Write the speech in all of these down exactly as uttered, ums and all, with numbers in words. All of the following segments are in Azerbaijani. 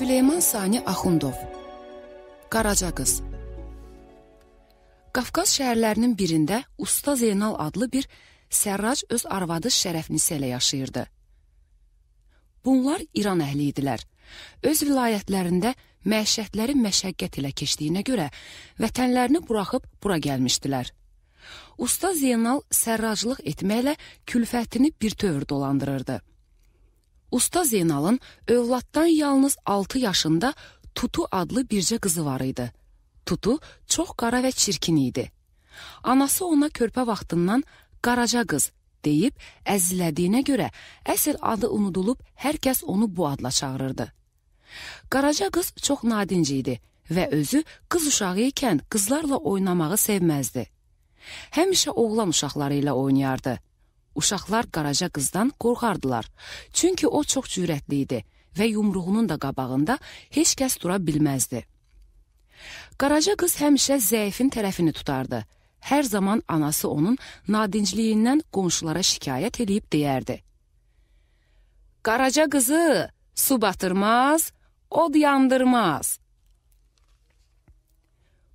Süleyman Sani Axundov Qaraca qız. Qafqaz şəhərlərinin birində Usta Zeynal adlı bir sərrac öz arvadı Şərəfnisə ilə yaşayırdı. Bunlar İran əhli idilər. Öz vilayətlərində məişətləri məşəqqət ilə keçdiyinə görə vətənlərini buraxıb bura gəlmişdilər. Usta Zeynal sərraclıq etməklə külfətini bir tövr dolandırırdı. Usta Zeynalın övladdan yalnız altı yaşında Tutu adlı bircə qızı var idi. Tutu çox qara və çirkin idi. Anası ona körpə vaxtından Qaraca qız deyib əzizlədiyinə görə əsl adı unudulub hər kəs onu bu adla çağırırdı. Qaraca qız çox nadinc idi və özü qız uşağı ikən qızlarla oynamağı sevməzdi. Həmişə oğlan uşaqları ilə oynayardı. Uşaqlar Qaraca qızdan qorxardılar, çünki o çox cürətli idi və yumruğunun da qabağında heç kəs dura bilməzdi. Qaraca qız həmişə zəifin tərəfini tutardı. Hər zaman anası onun nadincliyindən qonşulara şikayət edib deyərdi: "Qaraca qızı su batırmaz, od yandırmaz."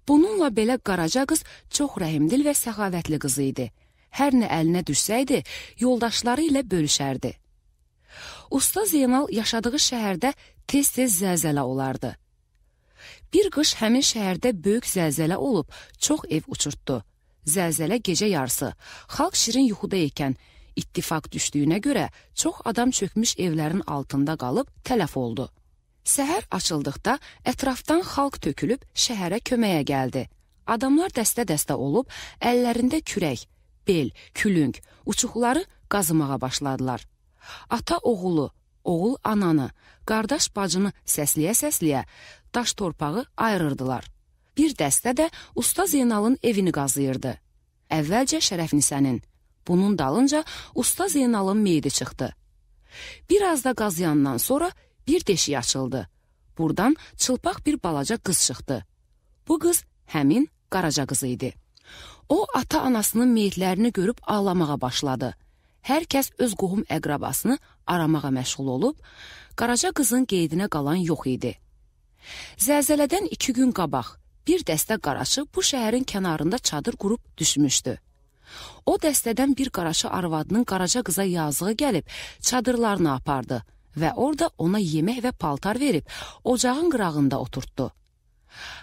Bununla belə Qaraca qız çox rəhimdil və səxavətli qızı idi. Hər nə əlinə düşsəydi, yoldaşları ilə bölüşərdi. Usta Zeynal yaşadığı şəhərdə tez-tez zəlzələ olardı. Bir qış həmin şəhərdə böyük zəlzələ olub, çox ev uçurtdu. Zəlzələ gecə yarısı, xalq şirin yuxuda ikən ittifaq düşdüyünə görə çox adam çökmüş evlərin altında qalıb tələf oldu. Səhər açıldıqda ətrafdan xalq tökülüb şəhərə köməyə gəldi. Adamlar dəstə-dəstə olub, əllərində kürək, bel, külüng, uçuqları qazımağa başladılar. Ata oğulu, oğul ananı, qardaş bacını səsləyə-səsləyə daş torpağı ayırırdılar. Bir dəstə də Usta Zeynalın evini qazıyırdı. Əvvəlcə Şərəfnisənin, bunun dalınca Usta Zeynalın meyidi çıxdı. Biraz da qazıyandan sonra bir deşik açıldı. Buradan çılpaq bir balaca qız çıxdı. Bu qız həmin Qaraca qızı idi. O, ata-anasının meyitlərini görüb ağlamağa başladı. Hər kəs öz qohum əqrabasını aramağa məşğul olub, Qaraca qızın qeydinə qalan yox idi. Zəlzələdən iki gün qabaq bir dəstə qaraçı bu şəhərin kənarında çadır qurub düşmüşdü. O dəstədən bir qaraçı arvadının Qaraca qıza yazığı gəlib çadırlarını apardı və orada ona yemək və paltar verib ocağın qırağında oturtdu.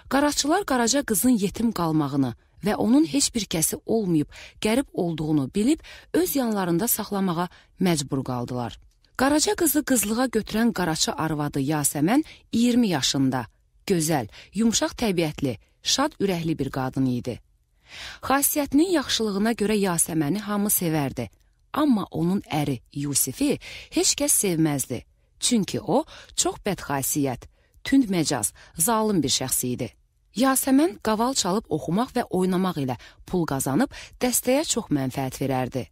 Qaraçılar Qaraca qızın yetim qalmağını və onun heç bir kəsi olmayıb, qərib olduğunu bilib, öz yanlarında saxlamağa məcbur qaldılar. Qaraca qızı qızlığa götürən qaraçı arvadı Yasəmən iyirmi yaşında, gözəl, yumşaq təbiətli, şad ürəkli bir qadın idi. Xasiyyətinin yaxşılığına görə Yasəməni hamı sevərdi, amma onun əri Yusifi heç kəs sevməzdi, çünki o çox bədxasiyyət, tünd məcaz, zalım bir şəxs idi. Yasəmən qaval çalıb oxumaq və oynamaq ilə pul qazanıb dəstəyə çox mənfəət verərdi.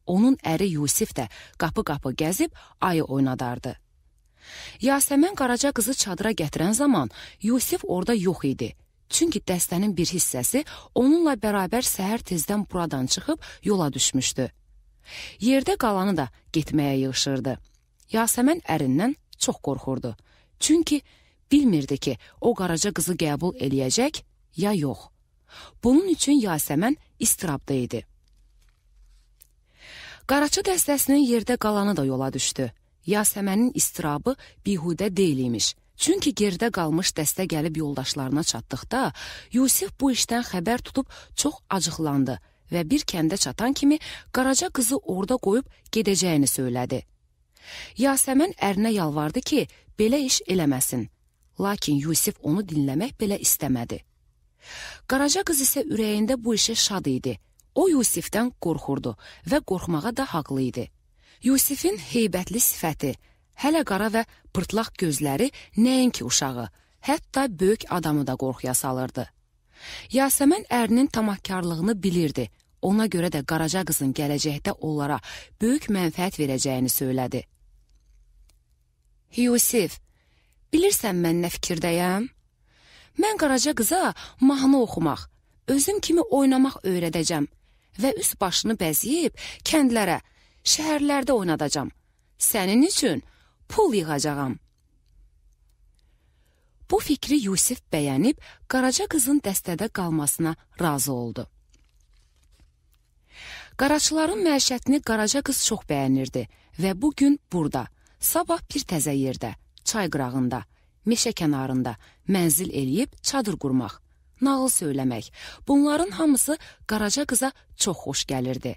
Onun əri Yusif də qapı-qapı gəzib ayı oynadardı. Yasəmən Qaraca qızı çadıra gətirən zaman Yusif orada yox idi. Çünki dəstənin bir hissəsi onunla bərabər səhər tezdən buradan çıxıb yola düşmüşdü. Yerdə qalanı da getməyə yığışırdı. Yasəmən ərindən çox qorxurdu. Çünki bilmirdi ki, o Qaraca qızı qəbul eləyəcək ya yox. Bunun üçün Yasəmən istirabda idi. Qaraçı dəstəsinin yerdə qalanı da yola düşdü. Yasəmənin istirabı bihudə deyil imiş. Çünki gerdə qalmış dəstə gəlib yoldaşlarına çatdıqda, Yusif bu işdən xəbər tutub çox acıqlandı və bir kəndə çatan kimi Qaraca qızı orada qoyub gedəcəyini söylədi. Yasəmən ərinə yalvardı ki, belə iş eləməsin. Lakin Yusif onu dinləmək belə istəmədi. Qaraca qız isə ürəyində bu işə şad idi. O Yusifdən qorxurdu və qorxmağa da haqlı idi. Yusifin heybətli sifəti, hələ qara və pırtlaq gözləri nəinki uşağı, hətta böyük adamı da qorxuya salırdı. Yasəmən ərinin tamahkarlığını bilirdi. Ona görə də Qaraca qızın gələcəkdə onlara böyük mənfəət verəcəyini söylədi. Yusif, bilirsən mən nə fikirdəyəm? Mən Qaraca qıza mahnı oxumaq, özüm kimi oynamaq öyrədəcəm və üst başını bəziyib kəndlərə, şəhərlərdə oynadacam. Sənin üçün pul yığacağam. Bu fikri Yusif bəyənib Qaraca qızın dəstədə qalmasına razı oldu. Qaraçıların məişətini Qaraca qız çox bəyənirdi və bugün burada, sabah bir təzə yerdə, çay qırağında, meşə kənarında mənzil eləyib çadır qurmaq, nağıl söyləmək, bunların hamısı Qaraca qıza çox xoş gəlirdi.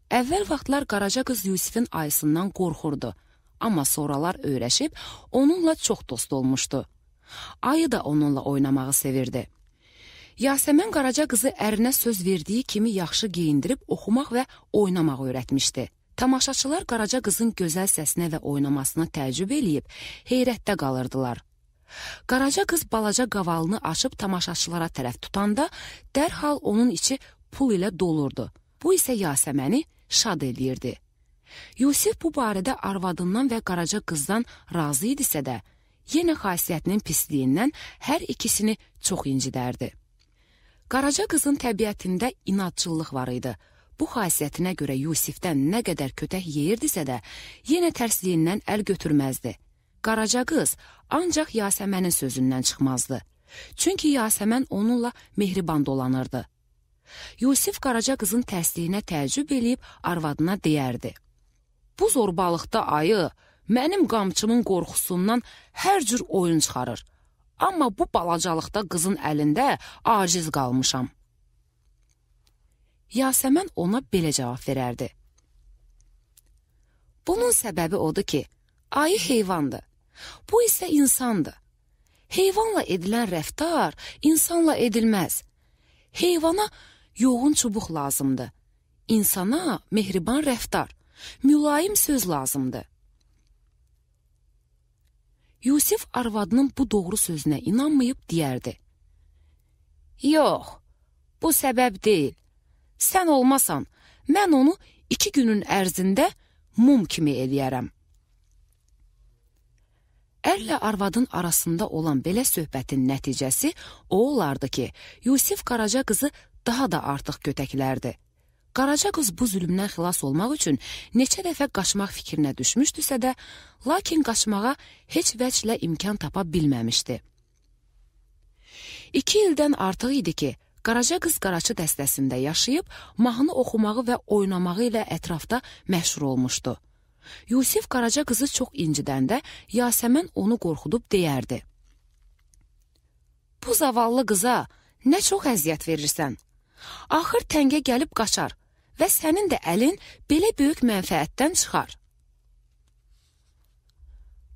Əvvəl vaxtlar Qaraca qız Yusifin ayısından qorxurdu, amma sonralar öyrəşib onunla çox dost olmuşdu. Ayı da onunla oynamağı sevirdi. Yasəmən Qaraca qızı ərinə söz verdiyi kimi yaxşı geyindirib oxumaq və oynamaq öyrətmişdi. Tamaşaçılar Qaraca qızın gözəl səsinə və oynamasına təəccüb eləyib, heyrətdə qalırdılar. Qaraca qız balaca qavalını açıb tamaşaçılara tərəf tutanda, dərhal onun içi pul ilə dolurdu. Bu isə Yasəməni şad eləyirdi. Yusif bu barədə arvadından və Qaraca qızdan razı idisə də, yenə xasiyyətinin pisliyindən hər ikisini çox incidərdi. Qaraca qızın təbiətində inadçılıq var idi. Bu xasiyyətinə görə Yusifdən nə qədər kötək yeyirdisə də, yenə tərsliyindən əl götürməzdi. Qaraca qız ancaq Yasəmənin sözündən çıxmazdı. Çünki Yasəmən onunla mehriban dolanırdı. Yusif Qaraca qızın tərsliyinə təəccüb eləyib arvadına deyərdi. Bu zorbalıqda ayı mənim qamçımın qorxusundan hər cür oyun çıxarır. Amma bu balacalıqda qızın əlində aciz qalmışam. Yasəmən ona belə cavab verərdi. Bunun səbəbi odur ki, ayı heyvandır, bu isə insandır. Heyvanla edilən rəftar insanla edilməz. Heyvana yoğun çubuq lazımdır. İnsana mehriban rəftar, mülayim söz lazımdır. Yusif arvadının bu doğru sözünə inanmayıb deyərdi. Yox, bu səbəb deyil. Sən olmasan, mən onu iki günün ərzində mum kimi eləyərəm. Ərlə arvadın arasında olan belə söhbətin nəticəsi o olardı ki, Yusif Qaraca qızı daha da artıq kötəklərdi. Qaraca qız bu zülmdən xilas olmaq üçün neçə dəfə qaçmaq fikrinə düşmüşdüsə də, lakin qaçmağa heç vəclə imkan tapa bilməmişdi. İki ildən artıq idi ki, Qaraca qız Qaraçı dəstəsində yaşayıb, mahnı oxumağı və oynamağı ilə ətrafda məşhur olmuşdu. Yusif Qaraca qızı çox incidəndə Yasəmən onu qorxudub deyərdi. Bu zavallı qıza nə çox əziyyət verirsən? Axır təngə gəlib qaçar və sənin də əlin belə böyük mənfəətdən çıxar.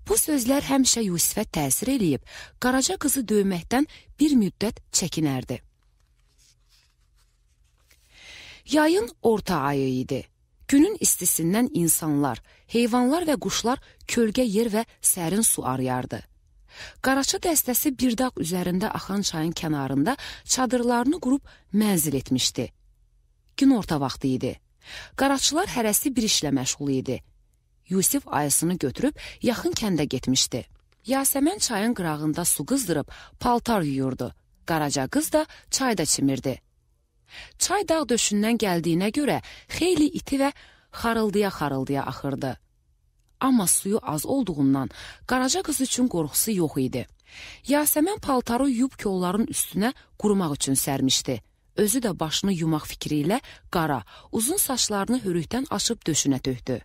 Bu sözlər həmişə Yusifə təsir eləyib, Qaraca qızı döyməkdən bir müddət çəkinərdi. Yayın orta ayı idi. Günün istisindən insanlar, heyvanlar və quşlar kölgə yer və sərin su arıyardı. Qaraçı dəstəsi bir dağ üzərində axan çayın kənarında çadırlarını qurub mənzil etmişdi. Gün orta vaxtı idi. Qaraçılar hərəsi bir işlə məşğul idi. Yusif ayısını götürüb yaxın kəndə getmişdi. Yasəmən çayın qırağında su qızdırıb paltar yuyurdu. Qaraca qız da çayda çimirdi. Çay dağ döşündən gəldiyinə görə xeyli iti və xarıldıya-xarıldıya axırdı. Amma suyu az olduğundan Qaraca qız üçün qorxusu yox idi. Yasəmən paltarı yuyub kolların üstünə qurumaq üçün sərmişdi. Özü də başını yumaq fikri ilə qara, uzun saçlarını hörükdən açıb döşünə tökdü.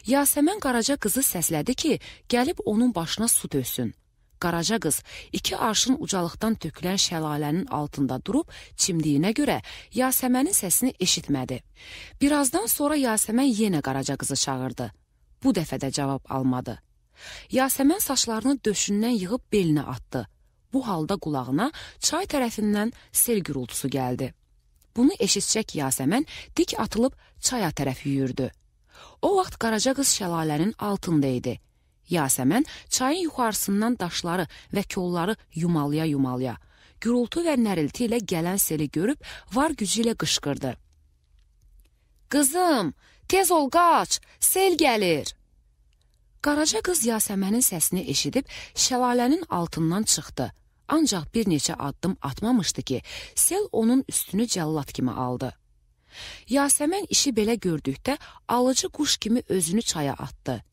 Yasəmən Qaraca qızı səslədi ki, gəlib onun başına su töksün. Qaraca qız iki arşın ucalıqdan tökülən şəlalənin altında durub çimdiyinə görə Yasəmənin səsini eşitmədi. Birazdan sonra Yasəmən yenə Qaraca qızı çağırdı. Bu dəfə də cavab almadı. Yasəmən saçlarını döşündən yığıb belinə atdı. Bu halda qulağına çay tərəfindən sel gürültüsü gəldi. Bunu eşitcək Yasəmən dik atılıb çaya tərəf yüyürdü. O vaxt Qaraca qız şəlalənin altında idi. Yasəmən çayın yuxarısından daşları və kolları yumalaya-yumalaya, gürültü və nərilti ilə gələn seli görüb var gücü ilə qışqırdı. Qızım, tez ol qaç, sel gəlir. Qaraca qız Yasəmənin səsini eşidib şəlalənin altından çıxdı. Ancaq bir neçə addım atmamışdı ki, sel onun üstünü cəllat kimi aldı. Yasəmən işi belə gördükdə alıcı quş kimi özünü çaya atdı.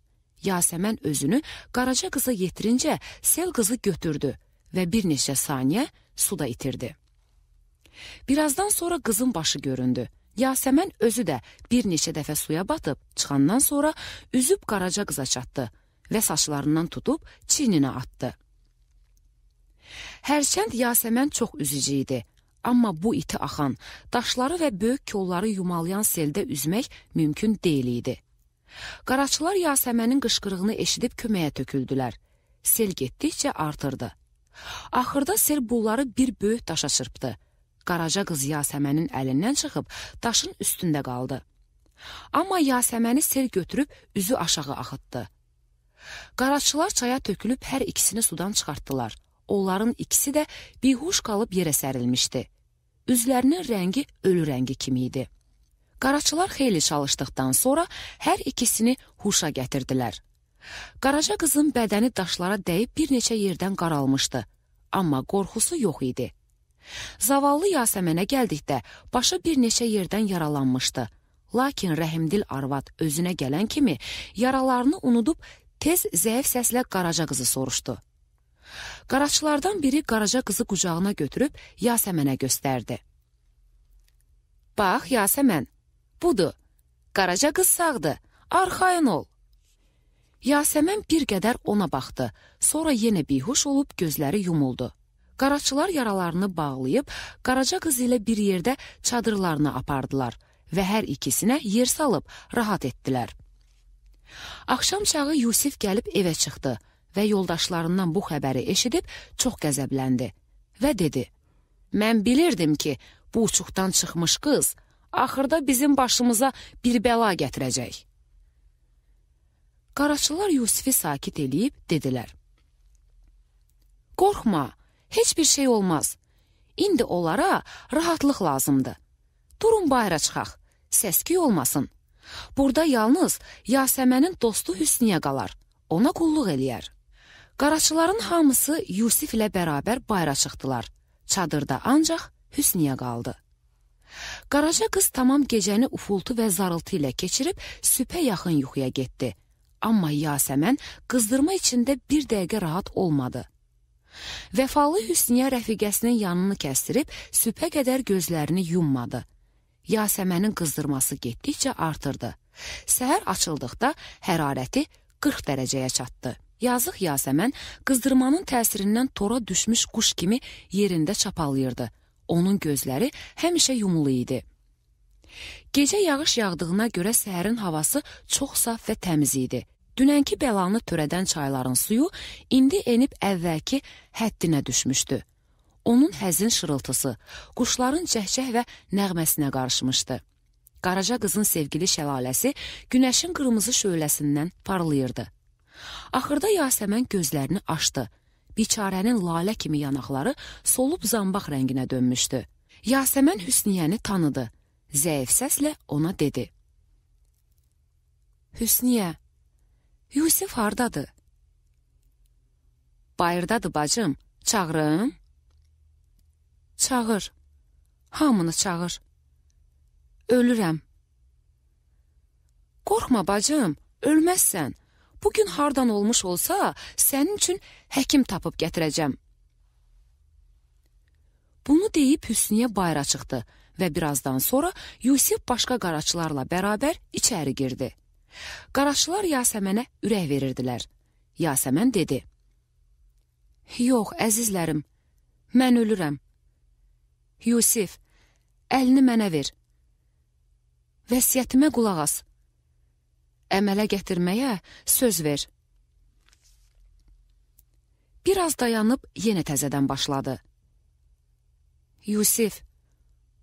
Yasəmən özünü Qaraca qıza yetirincə sel qızı götürdü və bir neçə saniyə suda itirdi. Birazdan sonra qızın başı göründü. Yasəmən özü də bir neçə dəfə suya batıb, çıxandan sonra üzüb Qaraca qıza çatdı və saçlarından tutub çiyninə atdı. Hərçənd Yasəmən çox üzücü idi, amma bu iti axan, daşları və böyük kolları yumalayan seldə üzmək mümkün deyil idi. Qaraçılar Yasəmənin qışqırığını eşidib köməyə töküldülər. Sel getdikcə artırdı. Axırda sel bunları bir böyük daşa çırpdı. Qaraca qız Yasəmənin əlindən çıxıb daşın üstündə qaldı. Amma Yasəməni sel götürüb üzü aşağı axıtdı. Qaraçılar çaya tökülüb hər ikisini sudan çıxartdılar. Onların ikisi də bihuş qalıb yerə sərilmişdi. Üzlərinin rəngi ölü rəngi kimi idi. Qaraçılar xeyli çalışdıqdan sonra hər ikisini huşa gətirdilər. Qaraca qızın bədəni daşlara dəyib bir neçə yerdən qaralmışdı, amma qorxusu yox idi. Zavallı Yasəmənə gəldikdə başı bir neçə yerdən yaralanmışdı. Lakin rəhimdil arvad özünə gələn kimi yaralarını unudub tez zəif səslə Qaraca qızı soruşdu. Qaraçılardan biri Qaraca qızı qucağına götürüb Yasəmənə göstərdi. Bax Yasəmən, budur, Qaraca qız sağdır, arxayın ol. Yasəmən bir qədər ona baxdı, sonra yenə bihuş olub gözləri yumuldu. Qaraçılar yaralarını bağlayıb, Qaraca qız ilə bir yerdə çadırlarını apardılar və hər ikisinə yer salıb rahat etdilər. Axşam çağı Yusif gəlib evə çıxdı və yoldaşlarından bu xəbəri eşidib çox qəzəbləndi və dedi, mən bilirdim ki, bu uçuqdan çıxmış qız axırda bizim başımıza bir bəla gətirəcək. Qaraçılar Yusifi sakit eləyib dedilər, qorxma, heç bir şey olmaz. İndi onlara rahatlıq lazımdır. Durun bayıra çıxaq, səsküy olmasın. Burada yalnız Yasəmənin dostu Hüsniyə qalar, ona qulluq eləyər. Qaraçıların hamısı Yusif ilə bərabər bayıra çıxdılar. Çadırda ancaq Hüsniyə qaldı. Qaraca qız tamam gecəni ufultu və zarıltı ilə keçirib sübhə yaxın yuxuya getdi. Amma Yasəmən qızdırma içində bir dəqiqə rahat olmadı. Vəfalı Hüsniyə rəfiqəsinin yanını kəstirib sübhə qədər gözlərini yummadı. Yasəmənin qızdırması getdikcə artırdı. Səhər açıldıqda hərarəti qırx dərəcəyə çatdı. Yazıq Yasəmən qızdırmanın təsirindən tora düşmüş quş kimi yerində çapalıyırdı. Onun gözləri həmişə yumulu idi. Gecə yağış yağdığına görə səhərin havası çox saf və təmiz idi. Dünənki bəlanı törədən çayların suyu indi enib əvvəlki həddinə düşmüşdü. Onun həzin şırıltısı, quşların cəhcəh və nəğməsinə qarışmışdı. Qaraca qızın sevgili şəlaləsi günəşin qırmızı şöləsindən parlayırdı. Axırda Yasəmən gözlərini açdı. Biçarənin lalə kimi yanaqları solub zambaq rənginə dönmüşdü. Yasəmən Hüsniyəni tanıdı. Zəif səslə ona dedi. Hüsniyə, Yusif hardadır? Bayırdadır bacım, çağırım? Çağır, hamını çağır. Ölürəm. Qorxma bacım, ölməzsən. Bugün hardan olmuş olsa, sənin üçün həkim tapıb gətirəcəm. Bunu deyib Hüsniyə bayıra çıxdı və birazdan sonra Yusif başqa qaraçılarla bərabər içəri girdi. Qaraçılar Yasəmənə ürək verirdilər. Yasəmən dedi. Yox, əzizlərim, mən ölürəm. Yusif, əlini mənə ver. Vəsiyyətimə qulaq as. Əmələ gətirməyə söz ver. Biraz dayanıb yenə təzədən başladı. Yusif,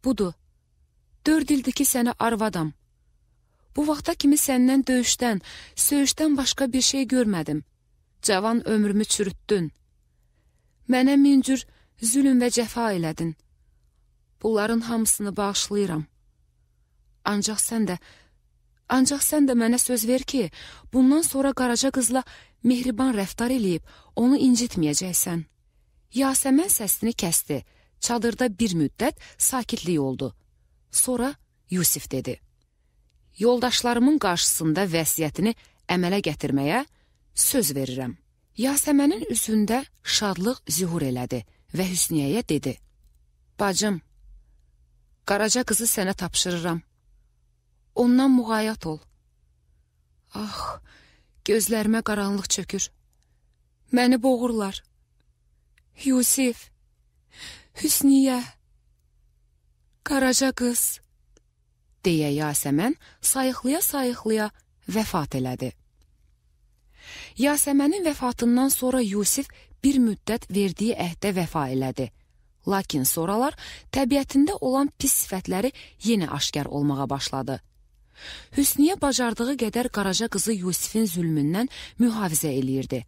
budur, dörd ildir ki sənə arvadam. Bu vaxta kimi səndən döyüşdən, söyüşdən başqa bir şey görmədim. Cavan ömrümü çürütdün. Mənə min cür zülüm və cəfa elədin. Bunların hamısını bağışlayıram. Ancaq sən də, ancaq sən də mənə söz ver ki, bundan sonra Qaraca qızla mehriban rəftar eləyib, onu incitməyəcəksən. Yasəmən səsini kəsdi. Çadırda bir müddət sakitlik oldu. Sonra Yusif dedi. Yoldaşlarımın qarşısında vəsiyyətini əmələ gətirməyə söz verirəm. Yasəmənin üzündə şadlıq zühur elədi və Hüsniyyəyə dedi: Bacım, Qaraca qızı sənə tapşırıram. Ondan müğayət ol. Ah, gözlərimə qaranlıq çökür. Məni boğurlar. Yusif, Hüsniyyə, Qaraca qız, deyə Yasəmən sayıqlaya-sayıqlaya vəfat elədi. Yasəmənin vəfatından sonra Yusif bir müddət verdiyi əhdə vəfa elədi. Lakin sonralar təbiətində olan pis sifətləri yenə aşkar olmağa başladı. Hüsniyyə bacardığı qədər Qaraca qızı Yusifin zülmündən mühafizə eləyirdi.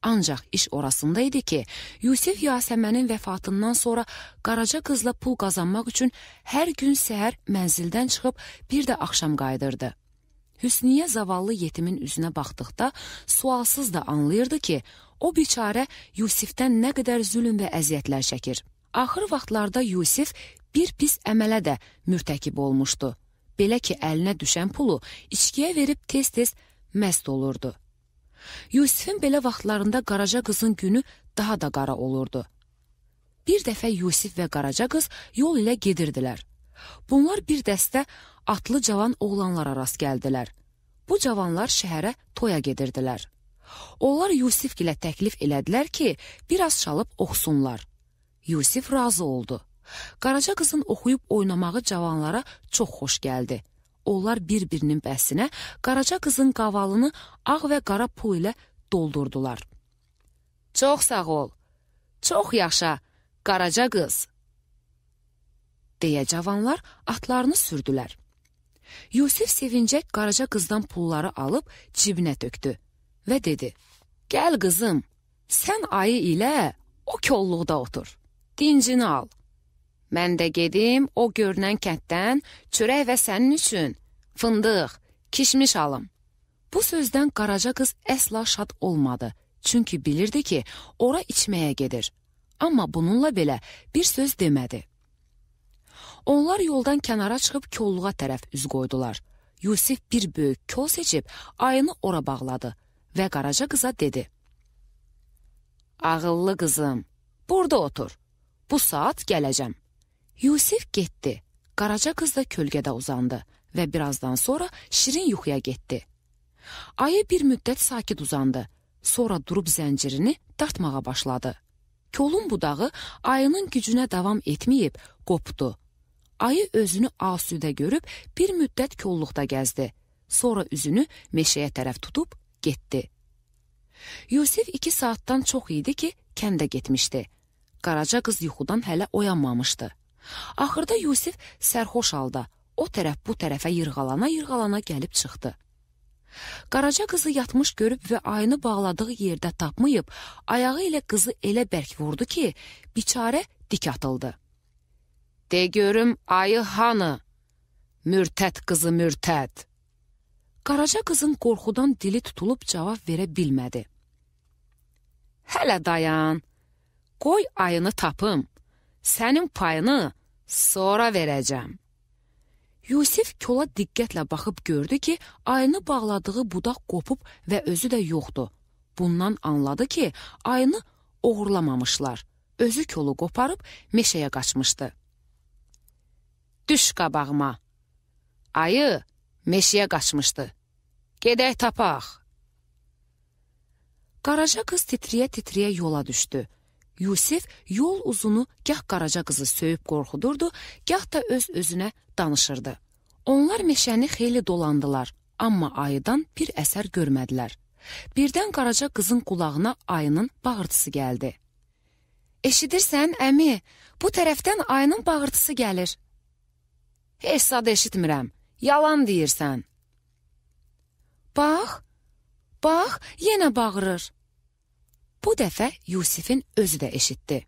Ancaq iş orasında idi ki, Yusif Yasəmənin vəfatından sonra Qaraca qızla pul qazanmaq üçün hər gün səhər mənzildən çıxıb bir də axşam qayıdırdı. Hüsniyyə zavallı yetimin üzünə baxdıqda sualsız da anlayırdı ki, o biçarə Yusifdən nə qədər zülm və əziyyətlər çəkir. Axır vaxtlarda Yusif bir pis əmələ də mürtəkib olmuşdu. Belə ki, əlinə düşən pulu içkiyə verib tez-tez məst olurdu. Yusifin belə vaxtlarında Qaraca qızın günü daha da qara olurdu. Bir dəfə Yusif və Qaraca qız yol ilə gedirdilər. Bunlar bir dəstə atlı cavan oğlanlara rast gəldilər. Bu cavanlar şəhərə toya gedirdilər. Onlar Yusifgilə təklif elədilər ki, biraz çalıb oxusunlar. Yusif razı oldu. Qaraca qızın oxuyub oynamağı cavanlara çox xoş gəldi. Onlar bir-birinin bəsinə Qaraca qızın qavalını ağ və qara pul ilə doldurdular. Çox sağ ol, çox yaşa, Qaraca qız, deyə cavanlar atlarını sürdülər. Yusif sevincək Qaraca qızdan pulları alıb cibinə tökdü və dedi: Gəl qızım, sən ayı ilə o kolluqda otur, dincini al. Mən də gedim o görünən kənddən çörək və sənin üçün fındıq, kişmiş alım. Bu sözdən Qaraca qız əsla şad olmadı, çünki bilirdi ki, ora içməyə gedir. Amma bununla belə bir söz demədi. Onlar yoldan kənara çıxıb kolluğa tərəf üz qoydular. Yusif bir böyük kol seçib ayını ora bağladı və Qaraca qıza dedi: Ağıllı qızım, burada otur, bu saat gələcəm. Yusif getdi, Qaraca qız da kölgədə uzandı və birazdan sonra şirin yuxuya getdi. Ayı bir müddət sakit uzandı, sonra durub zəncirini dartmağa başladı. Kolun budağı ayının gücünə davam etməyib, qopdu. Ayı özünü asudə görüb bir müddət kolluqda gəzdi, sonra üzünü meşəyə tərəf tutub getdi. Yusif iki saatdan çox idi ki, kəndə getmişdi. Qaraca qız yuxudan hələ oyanmamışdı. Axırda Yusif sərxoş halda o tərəf bu tərəfə yırğalana-yırğalana gəlib çıxdı. Qaraca qızı yatmış görüb və ayını bağladığı yerdə tapmayıb, ayağı ilə qızı elə bərk vurdu ki, biçarə dik atıldı. De görüm ayı hanı? Mürtəd qızı mürtəd. Qaraca qızın qorxudan dili tutulub cavab verə bilmədi. Hələ dayan, qoy ayını tapım, sənin payını sonra verəcəm. Yusif kola diqqətlə baxıb gördü ki, ayını bağladığı budaq qopub və özü də yoxdur. Bundan anladı ki, ayını oğurlamamışlar. Özü kolu qoparıb meşəyə qaçmışdı. Düş qabağıma. Ayı meşəyə qaçmışdı. Gedək tapaq. Qaraca qız titriyə-titriyə yola düşdü. Yusif yol uzunu gah Qaraca qızı söyüb qorxudurdu, gah da öz-özünə danışırdı. Onlar meşəni xeyli dolandılar, amma ayıdan bir əsər görmədilər. Birdən Qaraca qızın qulağına ayının bağırtısı gəldi. Eşidirsən, əmi, bu tərəfdən ayının bağırtısı gəlir. Heç sad eşitmirəm, yalan deyirsən. Bax, bax, yenə bağırır. Bu dəfə Yusifin özü də eşitdi.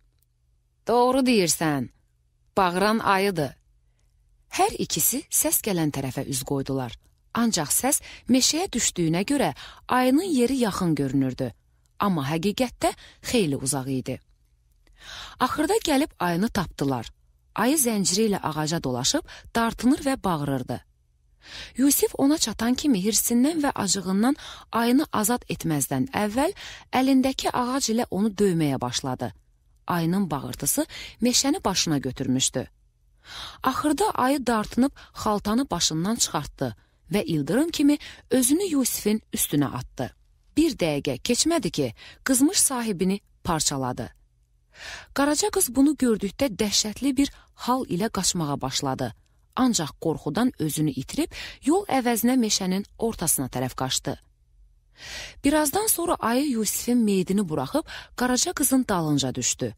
Doğru deyirsən, bağıran ayıdır. Hər ikisi səs gələn tərəfə üz qoydular. Ancaq səs meşəyə düşdüyünə görə ayının yeri yaxın görünürdü. Amma həqiqətdə xeyli uzaq idi. Axırda gəlib ayını tapdılar. Ayı zənciri ilə ağaca dolaşıb dartınır və bağırırdı. Yusif ona çatan kimi hirsindən və acığından ayını azad etməzdən əvvəl əlindəki ağac ilə onu döyməyə başladı. Ayının bağırtısı meşəni başına götürmüşdü. Axırda ayı dartınıb xaltanı başından çıxartdı və ildırım kimi özünü Yusifin üstünə atdı. Bir dəqiqə keçmədi ki, qızmış sahibini parçaladı. Qaraca qız bunu gördükdə dəhşətli bir hal ilə qaçmağa başladı. Ancaq qorxudan özünü itirib yol əvəzinə meşənin ortasına tərəf qaçdı. Birazdan sonra ayı Yusifin meyidini buraxıb Qaraca qızın dalınca düşdü.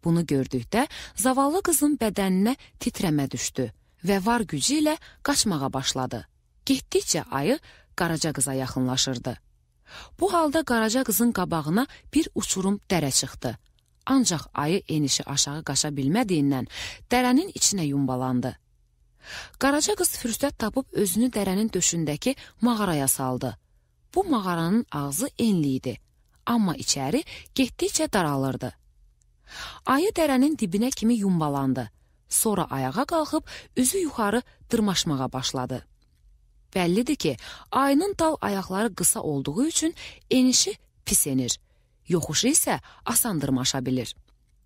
Bunu gördükdə zavallı qızın bədəninə titrəmə düşdü və var gücü ilə qaçmağa başladı. Getdikcə ayı Qaraca qıza yaxınlaşırdı. Bu halda Qaraca qızın qabağına bir uçurum dərə çıxdı. Ancaq ayı enişi aşağı qaça bilmədiyindən dərənin içinə yumbalandı. Qaraca qız fürsət tapıb özünü dərənin döşündəki mağaraya saldı. Bu mağaranın ağzı enli idi, amma içəri getdikcə daralırdı. Ayı dərənin dibinə kimi yumbalandı. Sonra ayağa qalxıb üzü yuxarı dırmaşmağa başladı. Bəllidir ki, ayının dal ayaqları qısa olduğu üçün enişi pis enir, yoxuşu isə asan dırmaşa bilir.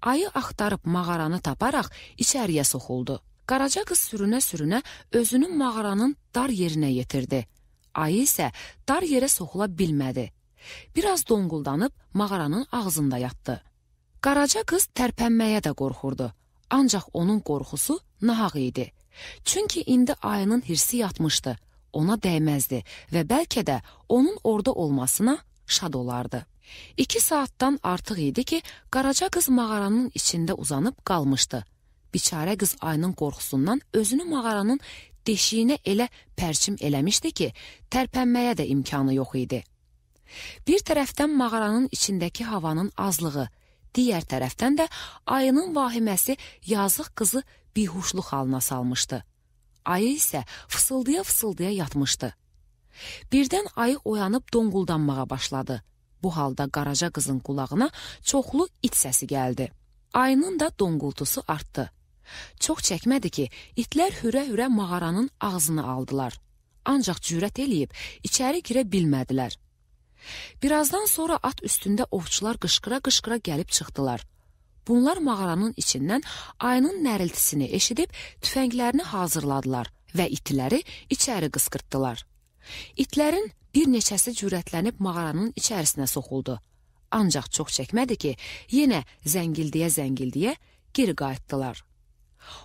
Ayı axtarıb mağaranı taparaq içəriyə soxuldu. Qaraca qız sürünə-sürünə özünü mağaranın dar yerinə yetirdi. Ayı isə dar yerə soxula bilmədi. Biraz donquldanıb mağaranın ağzında yatdı. Qaraca qız tərpənməyə də qorxurdu. Ancaq onun qorxusu nahaq idi. Çünki indi ayının hirsi yatmışdı, ona dəyməzdi və bəlkə də onun orada olmasına şad olardı. İki saatdan artıq idi ki, Qaraca qız mağaranın içində uzanıb qalmışdı. Biçarə qız ayının qorxusundan özünü mağaranın deşiyinə elə pərçim eləmişdi ki, tərpənməyə də imkanı yox idi. Bir tərəfdən mağaranın içindəki havanın azlığı, digər tərəfdən də ayının vahiməsi yazıq qızı bihuşluq halına salmışdı. Ayı isə fısıldaya-fısıldaya yatmışdı. Birdən ayı oyanıb donquldanmağa başladı. Bu halda Qaraca qızın qulağına çoxlu it səsi gəldi. Ayının da donqultusu artdı. Çox çəkmədi ki, itlər hürə-hürə mağaranın ağzını aldılar. Ancaq cürət eləyib içəri girə bilmədilər. Birazdan sonra at üstündə ovçular qışqıra-qışqıra gəlib çıxdılar. Bunlar mağaranın içindən ayının nəriltisini eşidib tüfənglərini hazırladılar və itləri içəri qısqırtdılar. İtlərin bir neçəsi cürətlənib mağaranın içərisinə soxuldu. Ancaq çox çəkmədi ki, yenə zəngildiyə-zəngildiyə geri qayıtdılar.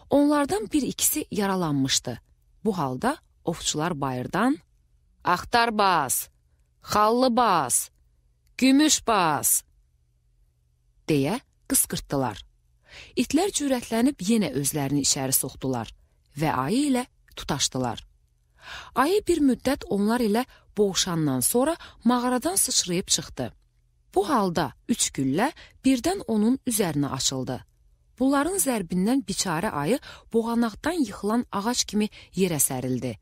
Onlardan bir ikisi yaralanmışdı. Bu halda ovçular bayırdan "Axtar bas, xallı bas, gümüş bas" deyə qısqırtdılar. İtlər cürətlənib yenə özlərini içəri soxdular və ayı ilə tutaşdılar. Ayı bir müddət onlar ilə boğuşandan sonra mağaradan sıçrayıb çıxdı. Bu halda üç güllə birdən onun üzərinə açıldı. Bunların zərbindən biçarə ayı boğanaqdan yıxılan ağac kimi yerə sərildi.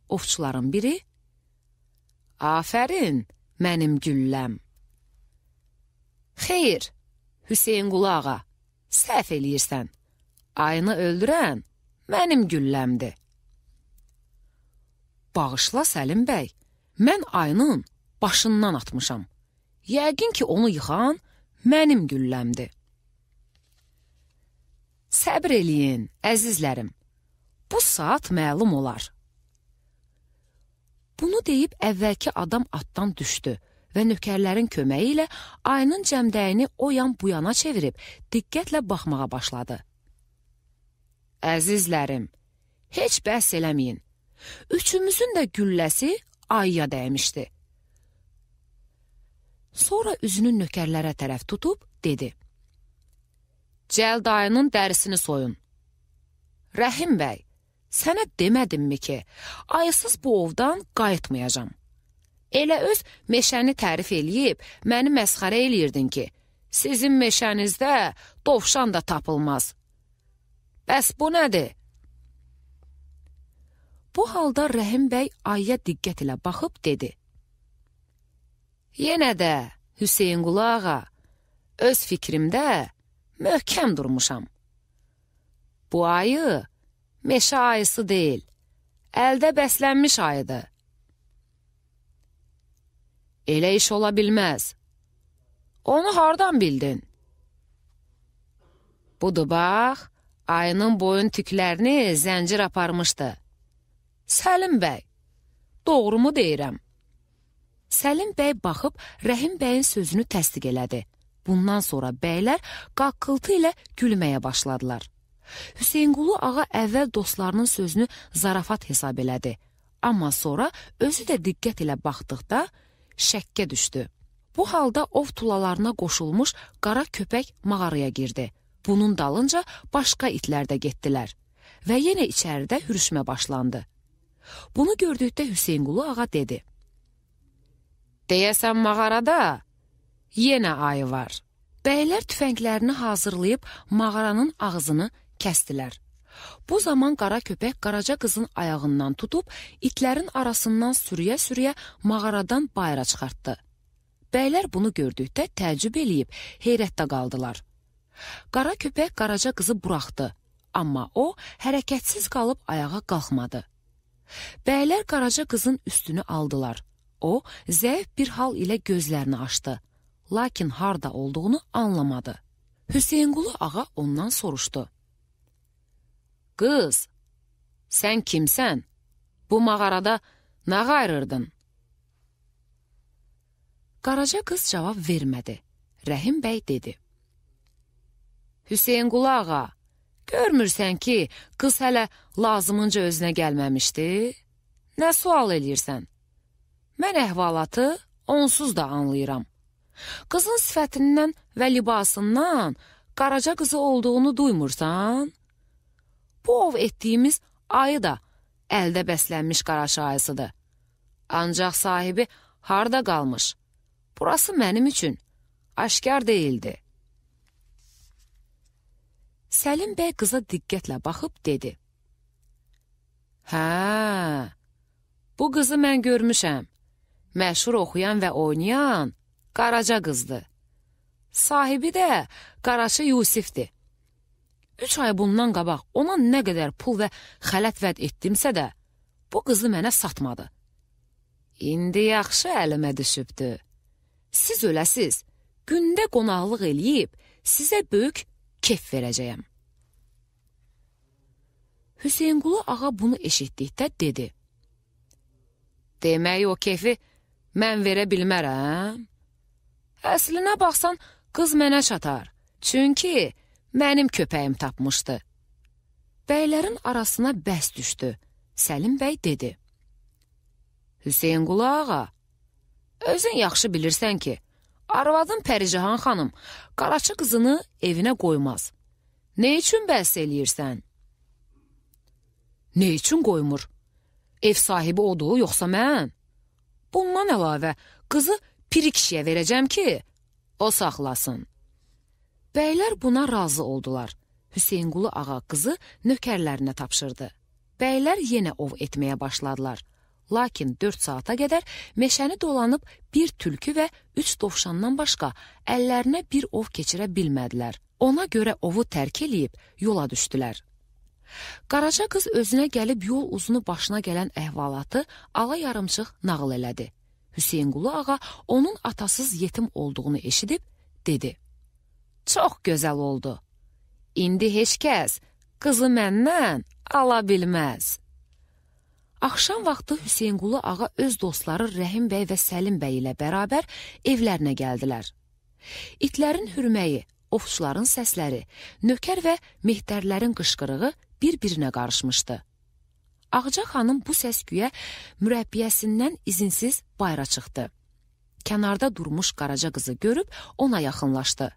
Ovçuların biri "Afərin, mənim gülləm." "Xeyr, Hüseynqulu ağa, səhv eləyirsən. Ayını öldürən mənim gülləmdir." "Bağışla Səlim bəy, mən ayının başından atmışam. Yəqin ki, onu yıxan mənim gülləmdir." "Səbr eləyin, əzizlərim, bu saat məlum olar." Bunu deyib əvvəlki adam atdan düşdü və nökərlərin köməyi ilə ayının cəmdəyini o yan bu yana çevirib diqqətlə baxmağa başladı. "Əzizlərim, heç bəhs eləməyin. Üçümüzün də gülləsi ayıya dəymişdi." Sonra üzünü nökərlərə tərəf tutub dedi: "Cəld ayının dərisini soyun. Rəhim bəy, sənə demədimmi ki, ayısız bu ovdan qayıtmayacam? Elə öz meşəni tərif eləyib, məni məsxərə eləyirdin ki, sizin meşənizdə dovşan da tapılmaz. Bəs bu nədir?" Bu halda Rəhim bəy ayıya diqqət ilə baxıb dedi: "Yenə də Hüseynqulu ağa, öz fikrimdə möhkəm durmuşam. Bu ayı meşə ayısı deyil, əldə bəslənmiş ayıdır. Elə iş ola bilməz. Onu hardan bildin? Budur bax, ayının boyun tüklərini zəncir aparmışdı. Səlim bəy, doğru mu deyirəm? Səlim bəy baxıb Rəhim bəyin sözünü təsdiq elədi. Bundan sonra bəylər qaqqıltı ilə gülməyə başladılar. Hüseynqulu ağa əvvəl dostlarının sözünü zarafat hesab elədi. Amma sonra özü də diqqət ilə baxdıqda şəkkə düşdü. Bu halda ov tulalarına qoşulmuş qara köpək mağaraya girdi. Bunun dalınca başqa itlər də getdilər və yenə içəridə hürüşmə başlandı. Bunu gördükdə Hüseynqulu ağa dedi: Deyəsən mağarada yenə ayı var. Bəylər tüfənglərini hazırlayıb mağaranın ağzını kəstilər. Bu zaman qara köpək Qaraca qızın ayağından tutub itlərin arasından sürüyə-sürüyə mağaradan bayıra çıxartdı. Bəylər bunu gördükdə təəccüb eləyib heyrətdə qaldılar. Qara köpək Qaraca qızı buraxdı, amma o hərəkətsiz qalıb ayağa qalxmadı. Bəylər Qaraca qızın üstünü aldılar. O, zəif bir hal ilə gözlərini açdı, lakin harda olduğunu anlamadı. Hüseynqulu ağa ondan soruşdu: Qız, sən kimsən? Bu mağarada nə qayırırdın? Qaraca qız cavab vermədi. Rəhim bəy dedi: Hüseynqulu ağa, görmürsən ki, qız hələ lazımınca özünə gəlməmişdi? Nə sual eləyirsən? Mən əhvalatı onsuz da anlayıram. Qızın sifətindən və libasından Qaraca qızı olduğunu duymursan? Bu ov etdiyimiz ayı da əldə bəslənmiş qaraşa ayısıdır. Ancaq sahibi harda qalmış? Burası mənim üçün aşkar deyildi. Səlim bəy qıza diqqətlə baxıb dedi: Hə, bu qızı mən görmüşəm. Məşhur oxuyan və oynayan Qaraca qızdır. Sahibi də Qaraşı Yusifdir. Üç ay bundan qabaq ona nə qədər pul və xələt vəd etdimsə də, bu qızı mənə satmadı. İndi yaxşı əlimə düşübdü. Siz öləsiz, gündə qonaqlıq eləyib, sizə böyük kef verəcəyəm. Hüseynqulu ağa bunu eşitdikdə dedi: Demək o kefi mən verə bilmərəm. Əslinə baxsan, qız mənə çatar. Çünki mənim köpəyim tapmışdı. Bəylərin arasına bəs düşdü. Səlim bəy dedi: Hüseynqulu ağa, özün yaxşı bilirsən ki, arvadın Pəricahan xanım Qaraçı qızını evinə qoymaz. Nə üçün bəhs eləyirsən? Nə üçün qoymur? Ev sahibi odur, yoxsa mən? Bundan əlavə qızı piri kişiyə verəcəm ki, o saxlasın. Bəylər buna razı oldular. Hüseynqulu ağa qızı nökərlərinə tapşırdı. Bəylər yenə ov etməyə başladılar. Lakin dörd saata qədər meşəni dolanıb bir tülkü və üç dovşandan başqa əllərinə bir ov keçirə bilmədilər. Ona görə ovu tərk eləyib yola düşdülər. Qaraca qız özünə gəlib yol uzunu başına gələn əhvalatı ala yarımçıq nağıl elədi. Hüseynqulu ağa onun atasız yetim olduğunu eşidib dedi: Çox gözəl oldu. İndi heç kəs qızı məndən ala bilməz. Axşam vaxtı Hüseynqulu ağa öz dostları Rəhim bəy və Səlim bəy ilə bərabər evlərinə gəldilər. İtlərin hürməyi, ovçuların səsləri, nökər və mehtərlərin qışqırığı bir-birinə qarışmışdı. Ağca xanım bu səs-küyə mürəbbiyəsindən izinsiz bayıra çıxdı. Kənarda durmuş Qaraca qızı görüb ona yaxınlaşdı.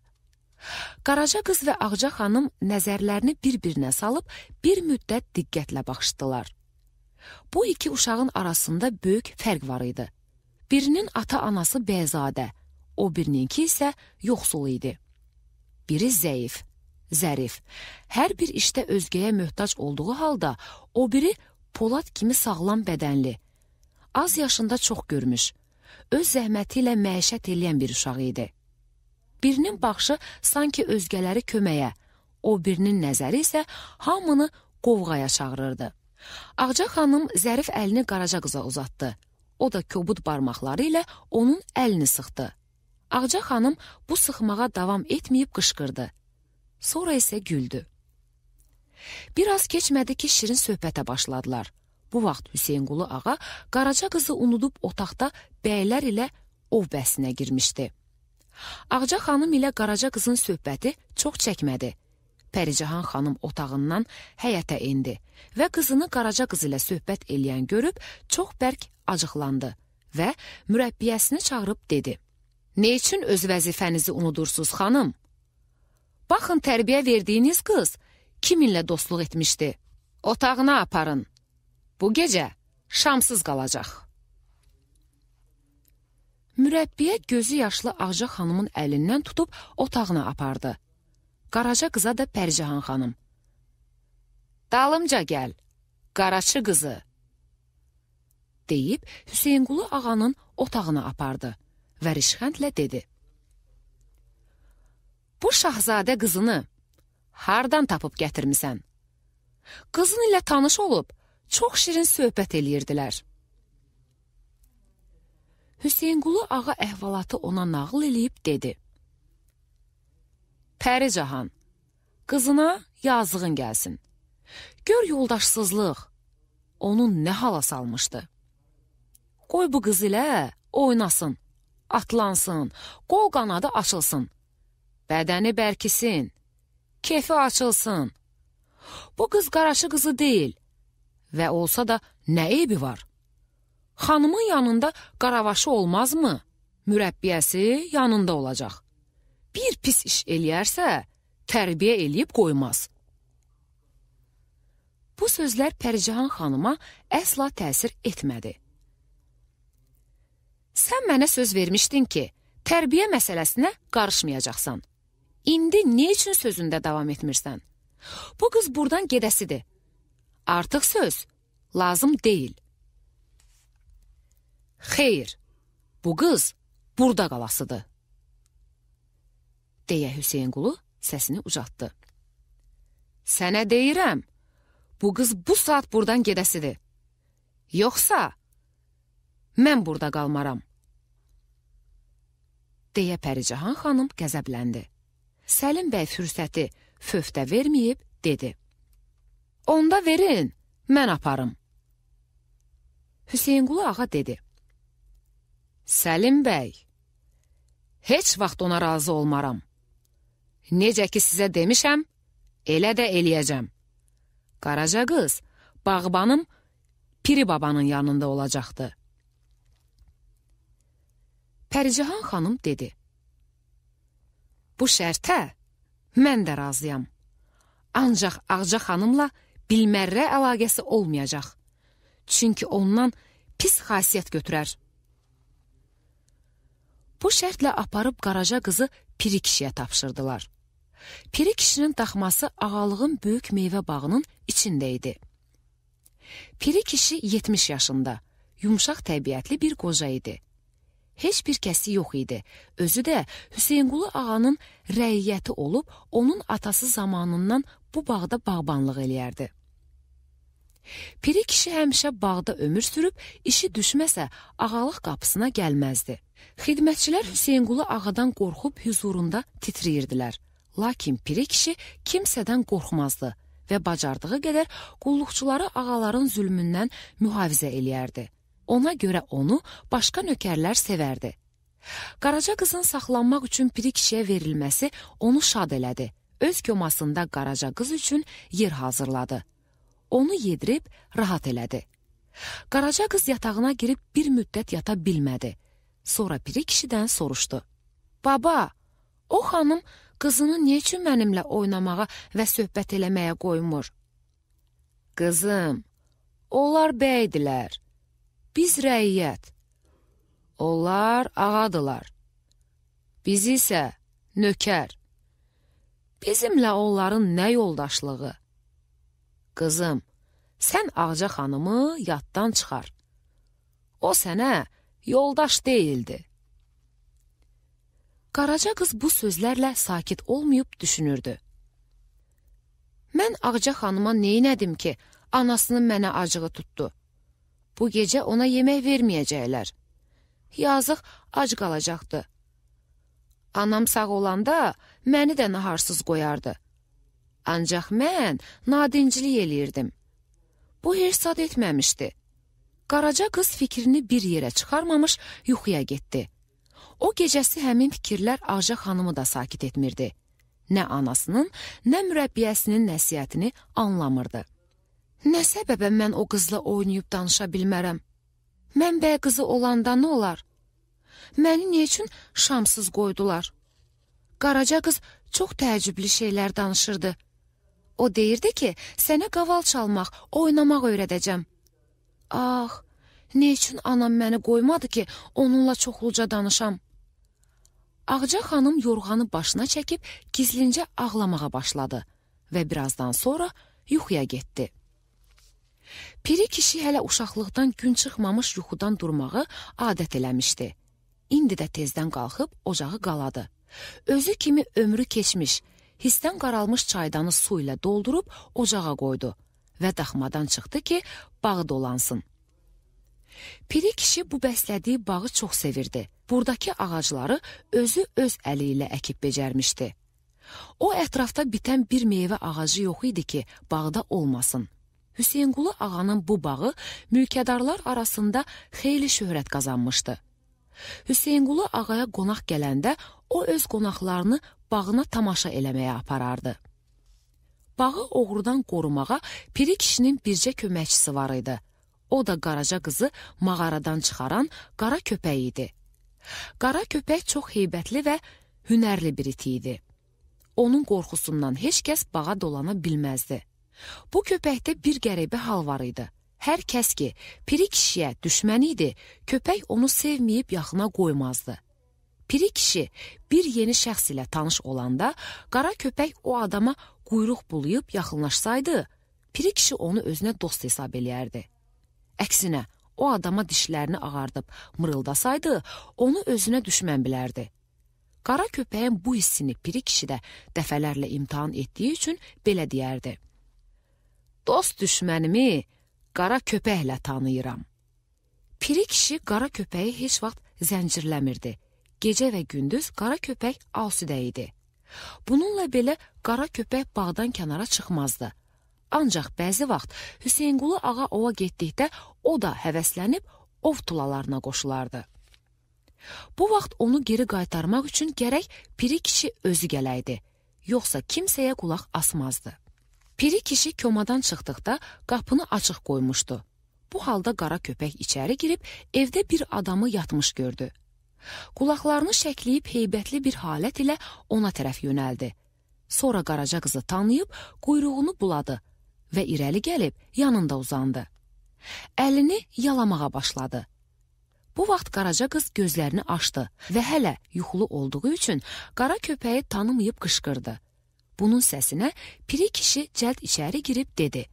Qaraca qız və Ağca xanım nəzərlərini bir-birinə salıb bir müddət diqqətlə baxışdılar. Bu iki uşağın arasında böyük fərq var idi. Birinin ata-anası bəyzadə, o birininki isə yoxsul idi. Biri zəif, zərif, hər bir işdə özgəyə möhtac olduğu halda, o biri Polad kimi sağlam bədənli, az yaşında çox görmüş, öz zəhməti ilə məişət eləyən bir uşaq idi. Birinin baxışı sanki özgələri köməyə, o birinin nəzəri isə hamını qovğaya çağırırdı. Ağca xanım zərif əlini Qaraca qıza uzatdı. O da kobud barmaqları ilə onun əlini sıxdı. Ağca xanım bu sıxmağa davam etməyib qışqırdı. Sonra isə güldü. Biraz keçmədi ki, şirin söhbətə başladılar. Bu vaxt Hüseynqulu ağa Qaraca qızı unudub otaqda bəylər ilə ov bəsinə girmişdi. Ağca xanım ilə Qaraca qızın söhbəti çox çəkmədi. Pəricahan xanım otağından həyətə indi və qızını Qaraca qız ilə söhbət eləyən görüb çox bərk acıqlandı və mürəbbiyəsini çağırıb dedi: "Ne üçün öz vəzifənizi unudursuz, xanım? Baxın, tərbiyə verdiyiniz qız kiminlə dostluq etmişdi? Otağına aparın. Bu gecə şamsız qalacaq." Mürəbbiyə gözü yaşlı Ağca xanımın əlindən tutub otağına apardı. Qaraca qıza da Pəricahan xanım: "Dalımca gəl, Qaraçı qızı," deyib Hüseynqulu ağanın otağına apardı və rişxəndlə dedi: "Bu şahzadə qızını hardan tapıb gətirmisən? Qızın ilə tanış olub, çox şirin söhbət eləyirdilər." Hüseynqulu ağa əhvalatı ona nağıl eləyib dedi: "Pəricahan, qızına yazığın gəlsin. Gör yoldaşsızlıq onun nə hala salmışdı. Qoy bu qız ilə oynasın, atlansın, qol qanadı açılsın, bədəni bərkisin, kefi açılsın. Bu qız Qaraçı qızı deyil və olsa da nə eybi var? Xanımın yanında qaravaşı olmazmı? Mürəbbiyəsi yanında olacaq. Bir pis iş eləyərsə, tərbiyə eləyib qoymaz." Bu sözlər Pəricahan xanıma əsla təsir etmədi. "Sən mənə söz vermişdin ki, tərbiyə məsələsinə qarışmayacaqsan. İndi nə üçün sözündə davam etmirsən? Bu qız buradan gedəsidir. Artıq söz lazım deyil." "Xeyr, bu qız burada qalasıdır," deyə Hüseynqulu səsini ucatdı. "Sənə deyirəm, bu qız bu saat buradan gedəsidir. Yoxsa mən burada qalmaram," deyə Pəricahan xanım qəzəbləndi. Səlim bəy fürsəti fövtə verməyib dedi: "Onda verin, mən aparım." Hüseynqulu ağa dedi: "Səlim bəy, heç vaxt ona razı olmaram. Necə ki sizə demişəm, elə də eləyəcəm. Qaraca qız, bağbanım Piri babanın yanında olacaqdı." Pəricahan xanım dedi: "Bu şərtə mən də razıyam. Ancaq Ağca xanımla bilmərrə əlaqəsi olmayacaq. Çünki ondan pis xasiyyət götürər." Bu şərtlə aparıb Qaraca qızı Piri kişiyə tapşırdılar. Piri kişinin daxması ağalığın böyük meyvə bağının içində idi. Piri kişi yetmiş yaşında, yumşaq təbiətli bir qoca idi. Heç bir kəsi yox idi. Özü də Hüseynqulu ağanın rəiyyəti olub, onun atası zamanından bu bağda bağbanlıq eləyərdi. Piri kişi həmişə bağda ömür sürüb, işi düşməsə ağalıq qapısına gəlməzdi. Xidmətçilər Hüseynqulu ağadan qorxub hüzurunda titriyirdilər. Lakin Piri kişi kimsədən qorxmazdı və bacardığı qədər qulluqçuları ağaların zülmündən mühafizə eləyərdi. Ona görə onu başqa nökərlər sevərdi. Qaraca qızın saxlanmaq üçün Piri kişiyə verilməsi onu şad elədi. Öz komasında Qaraca qız üçün yer hazırladı. Onu yedirib rahat elədi. Qaraca qız yatağına girib bir müddət yata bilmədi. Sonra Piri kişidən soruşdu: "Baba, o xanım qızını nə üçün mənimlə oynamağa və söhbət eləməyə qoymur?" "Qızım, onlar bəydilər, biz rəiyyət. Onlar ağadılar. Biz isə nökər. Bizimlə onların nə yoldaşlığı? Qızım, sən Ağca xanımı yaddan çıxar. O sənə yoldaş deyildi." Qaraca qız bu sözlərlə sakit olmayıb düşünürdü. "Mən Ağca xanıma neynədim ki, Anasının mənə acığı tutdu. Bu gecə ona yemək verməyəcəklər. Yazıq ac qalacaqdı. Anam sağ olanda məni də naharsız qoyardı. Ancaq mən nadinclik eləyirdim. Bu heç sad etməmişdi. Qaraca qız fikrini bir yerə çıxarmamış yuxuya getdi. O gecəsi həmin fikirlər Ağca xanımı da sakit etmirdi. Nə anasının, nə mürəbbiyəsinin nəsihətini anlamırdı. Nə səbəbə mən o qızla oynayıb danışa bilmərəm? Mən bəy qızı olanda nə olar? Məni niyə üçün şamsız qoydular? Qaraca qız çox təəccüblü şeylər danışırdı. O deyirdi ki, sənə qaval çalmaq, oynamaq öyrədəcəm. Ah, nə üçün anam məni qoymadı ki, onunla çoxluca danışam? Ağca xanım yorğanı başına çəkib gizlincə ağlamağa başladı və birazdan sonra yuxuya getdi. Piri kişi hələ uşaqlıqdan gün çıxmamış yuxudan durmağı adət eləmişdi. İndi də tezdən qalxıb ocağı qaladı. Özü kimi ömrü keçmiş, hisdən qaralmış çaydanı su ilə doldurub ocağa qoydu və daxmadan çıxdı ki, bağı dolansın. Piri kişi bu bəslədiyi bağı çox sevirdi. Buradakı ağacları özü öz əli ilə əkib becərmişdi. O ətrafda bitən bir meyvə ağacı yox idi ki, bağda olmasın. Hüseynqulu ağanın bu bağı mülkədarlar arasında xeyli şöhrət qazanmışdı. Hüseynqulu ağaya qonaq gələndə o öz qonaqlarını bağına tamaşa eləməyə aparardı. Bağı oğrudan qorumağa Piri kişinin bircə köməkçisi var idi. O da Qaraca qızı mağaradan çıxaran qara köpək idi. Qara köpək çox heybətli və hünərli bir iti idi. Onun qorxusundan heç kəs bağa dolana bilməzdi. Bu köpəkdə bir qəribə hal var idi. Hər kəs ki, Piri kişiyə düşmən idi, köpək onu sevməyib yaxına qoymazdı. Piri kişi bir yeni şəxs ilə tanış olanda, qara köpək o adama quyruq bulayıb yaxınlaşsaydı, Piri kişi onu özünə dost hesab eləyərdi. Əksinə, o adama dişlərini ağardıb mırıldasaydı, onu özünə düşmən bilərdi. Qara köpəyin bu hissini Piri kişi də dəfələrlə imtahan etdiyi üçün belə deyərdi. Dost düşmənimi qara köpəklə tanıyıram. Piri kişi qara köpəyi heç vaxt zəncirləmirdi. Gecə və gündüz qara köpək asudə idi. Bununla belə qara köpək bağdan kənara çıxmazdı. Ancaq bəzi vaxt Hüseynqulu ağa ova getdikdə o da həvəslənib ov tulalarına qoşulardı. Bu vaxt onu geri qaytarmaq üçün gərək Piri kişi özü gələydi, yoxsa kimsəyə qulaq asmazdı. Piri kişi komadan çıxdıqda qapını açıq qoymuşdu. Bu halda qara köpək içəri girib evdə bir adamı yatmış gördü. Qulaqlarını şəkləyib heybətli bir halət ilə ona tərəf yönəldi. Sonra Qaraca qızı tanıyıb quyruğunu buladı və irəli gəlib yanında uzandı. Əlini yalamağa başladı. Bu vaxt Qaraca qız gözlərini açdı və hələ yuxulu olduğu üçün qara köpəyi tanımayıb qışqırdı. Bunun səsinə Piri kişi cəld içəri girib dedi.